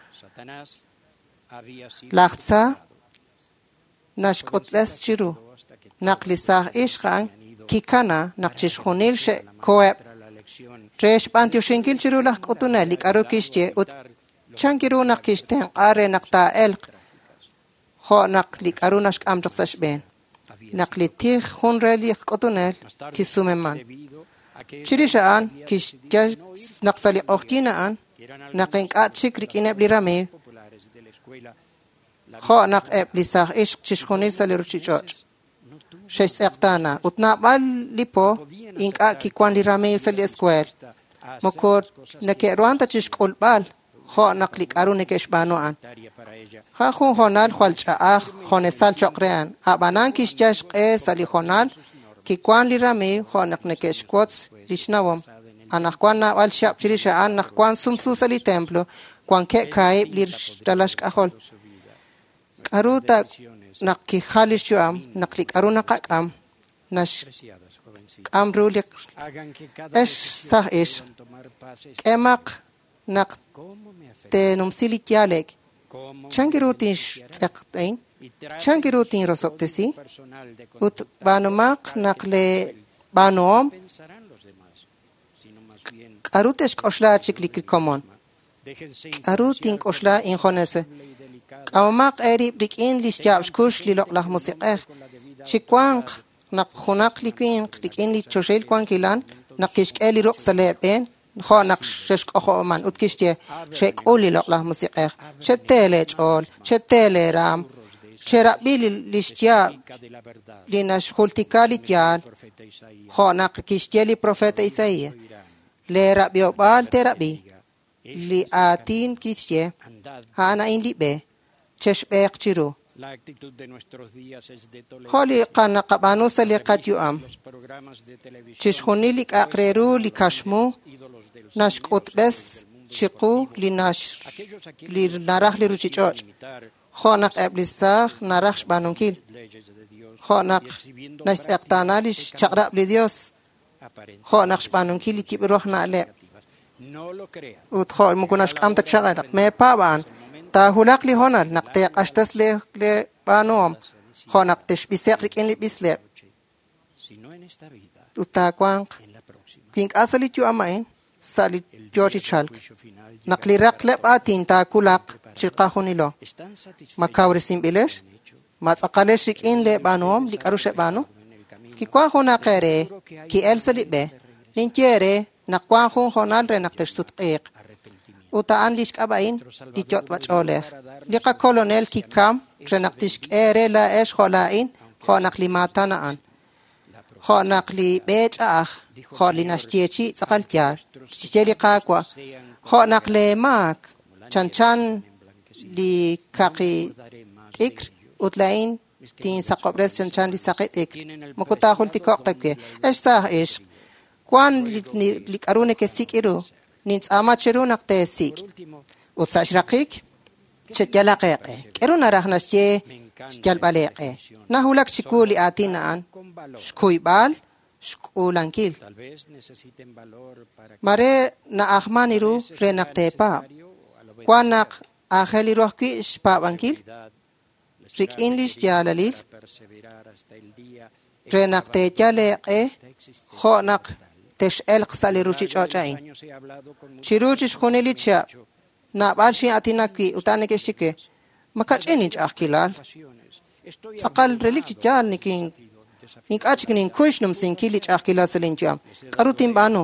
Laj tza naxk'utb'es chiru naq li saaj ixq a'an kikana naq chixjunil xe'koheb' Re xb'antioxinkil chiru laj k'utunel li k'a'ru kixye ut chan ru naq kixtenq'a re naq taa'elq jo' naq li k'a'ru naxk'am chaq sa' xb'een. Naq li tij jun re li k'utunel kisumeman. Chirix a'an kixye naq sa' li q'ojyin a'an naq ink'a' chik rik'ineb' li ramiiw jo' naq eb' li saaj ixq chixjunil sa' li ruchich'och' xe'xtz'eqtaana ut naab'al li po ink'a' kiwan li ramiiw sa' li escuela. Moko neke'ruhan ta chixk'ulb'al jo' naq li k'a'ru neke'xb'aanu a'an. Ja jun hoonal jwal ch'a'aj jonesal choq' re a'an. A'b'anan kixyal xq'e sa' li hoonal kiwan li ramiiw jo' naq neke'xwotz lix nawom. Anaqwan naab'al xab' chirix a'an naq wan sumsu sa' li templo, wankeb' kaahib' li ralal xk'ajol. K'a'ru ta naq kijal lix yu'am, naq li k'a'ru naqak'am, naxk'am ru li ex saaj ixq. K'emaq naq teenumsi li yaalek. Chan ru tinxtz'eq'in? Chan ru tinrosob'tesi? Ut b'aanumaq naq le b'aanuhom k'a'ru te'xk'oxla chik li komon. K'a'ru tink'oxla injonese. K'amomaq eerib' rik'in li xyaab' xkux li loq'laj musiq'ej. Chiwanq naq junaq li winq rik'in li choxahil wankilal naq kixk'e li ruq' sa' lee b'een jo' naq xexk'ojo'man ut kixye xek'ul li loq'laj musiq'ej. Chetee lee ch'ool, chetee lee raam, cherab'i li xyaab' li naxjultika li yaal jo' naq kixye li profeta Isaías. Lee rab'iob'aal teerab'i li aatin kixye a'an a'in li b'e chexb'eeq chiru. Jo' li qanaqab'aanu sa' li qayu'am. Chixjunil li k'a'aq re ru li kaxmu naxk'utb'es chiqu li naraj li ruchich'och'. Jo' naq eb' li saaj naraj xb'aanunkil. Jo' naq naxtz'eqtaana li xchaq'rab' li Dios. Jo' naq xb'aanunkil li yib'ru aj na'leb'. Ut jo' moko naxk'am ta chaq'rab'. Meepaab' a'an. Taahulaq li hoonal naq teeq'axtes le b'aanuhom jo' naq texb'ise'q rik'in li b'isleb'. Ut taawanq wi ink'a' sa' li yu'am a'in, sa' li yoo chi chalk. Naq li raqleb' aatin taawulaq chiqajunilo. Ma kawresinb'ilex? Ma tz'aqalex rik'in lee b'aanuhom li k'a'ru xeb'aanu? Kiwan junaq eere ki'el sa' li b'e. Ninye eere naq wan jun hoonal re naq texsutq'iiq. Ut a'an lix k'ab'a'in li yot'b'ach'oolej. Li qakolonel kikam re naq tixk'e re laa'ex jo' laa'in, jo' naq li maatan a'an. Jo' naq li b'e ch'a'aj, jo' li naxyeechi tz'aqal yaal, xye li Qaawa', jo' naq lee maak chanchan li kaqi t'ikr ut laa'in tinsaqob'res chanchan li saqi t'ikr. Moko taajultiko'q ta we. Ex saaj ixq, wan li k'a'ru nekesik' ru, nintz'aama cheru naq teesik'. Ut sa' xraqik, cheyalaq eeq'e. K'eru naraj naxye xyalb'al eeq'e. Nahulak chiwu li aatin a'an, xkuyb'al, xk'uulankil. Mare na'ajman ru re naq teepaab'. Wan naq aajel ru ajwi' xpaab'ankil rik'in li xyaalalil re naq teeyal eeq'e jo' naq tex'elq sa' li ruchich'och' a'in. Chiru chixjunil li chihab', naab'al xin'aatinak wi' ut a'an neke'xye we, ma kach'in inch'a'ajkilal. Tz'aqal relik chi yaal ink'a' chik ninkuy xnumsinkil li ch'a'ajkilal sa' linyu'am. K'a'ru tinb'aanu?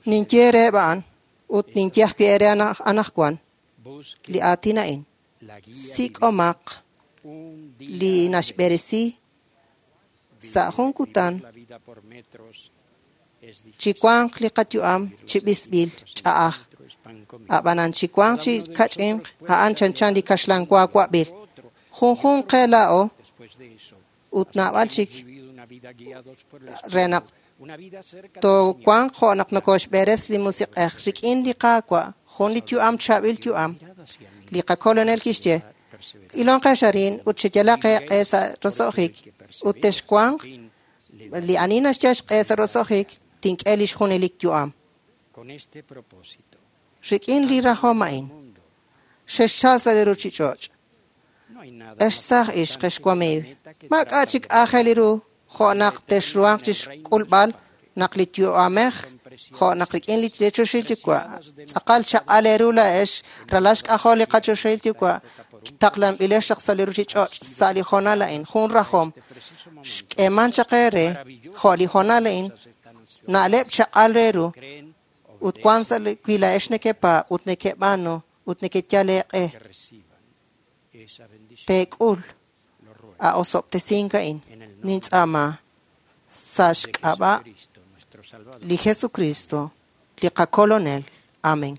Ninye reheb' a'an ut ninye ajwi' eere anaqwan li aatin a'in. Sik'omaq li naxb'eresi sa' jun kutan chiwanq li qayu'am chi b'isb'il ch'a'aj. A'b'anan chiwanq chi kach'inq a'an chanchan li kaxlan wa wa'b'il. Junjunq qe laa'o ut naab'al chik re naq toowanq jo' naq nokoxb'eres li musiq'ej rik'in li Qaawa', jun li yu'am chaab'il yu'am. Li qakolonel kixye, ilonqex arin ut cheyalaq eeq'e sa' roso'jik ut texwanq li ani naxyal xq'e sa' roso'jik tink'e lix junelik yu'am. Rik'in li rajom a'in, xexchal sa' li ruchich'och'. Ex saaj ixq, ex wamiiw, maak'a' chik aajel ru jo' naq texruhanq chixk'ulb'al naq li yu'amej Jo' naq rik'in li choxahil yuwa', tz'aqal chaq'al eeru laa'ex, ralal xk'ajol li qachoxahil yuwa', taqlanb'ilex chaq sa' li ruchich'och' sa' li hoonal a'in, jun rajom. Xk'eeman chaq eere, jo' li hoonal a'in, na'leb' chaq'al re ru, ut wan sa' wi laa'ex nekepaab' ut nekeb'aanu ut nekeyal eeq'e. Teek'ul a osob'tesink a'in, nintz'aama sa' xk'ab'a' li Jesucristo, li qakolonel. Amén.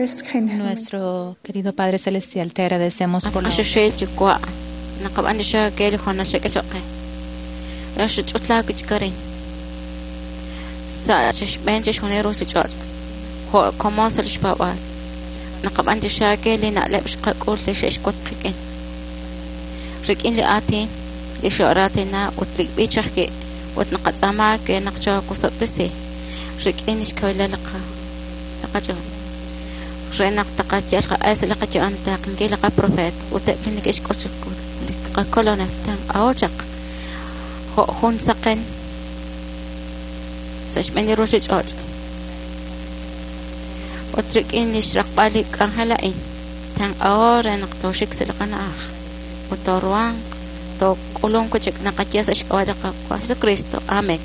Nuestro querido Padre Celestial, te agradecemos por la Re naq taqayal qaq'e sa' li qayu'am taqankil li qaprofeet ut eb' li neke'xk'ut li qakolonel tanq'aho chaq jo' jun saqen sa' xb'een li ruchich'och' ut rik'in li xraqb'al li k'anjel a'in tanq'aho re naq tooxik sa' li qana'aj ut tooruhanq took'ulunk chik naqaye sa' xk'ab'a' li Qaawa' Jesucristo. Amén.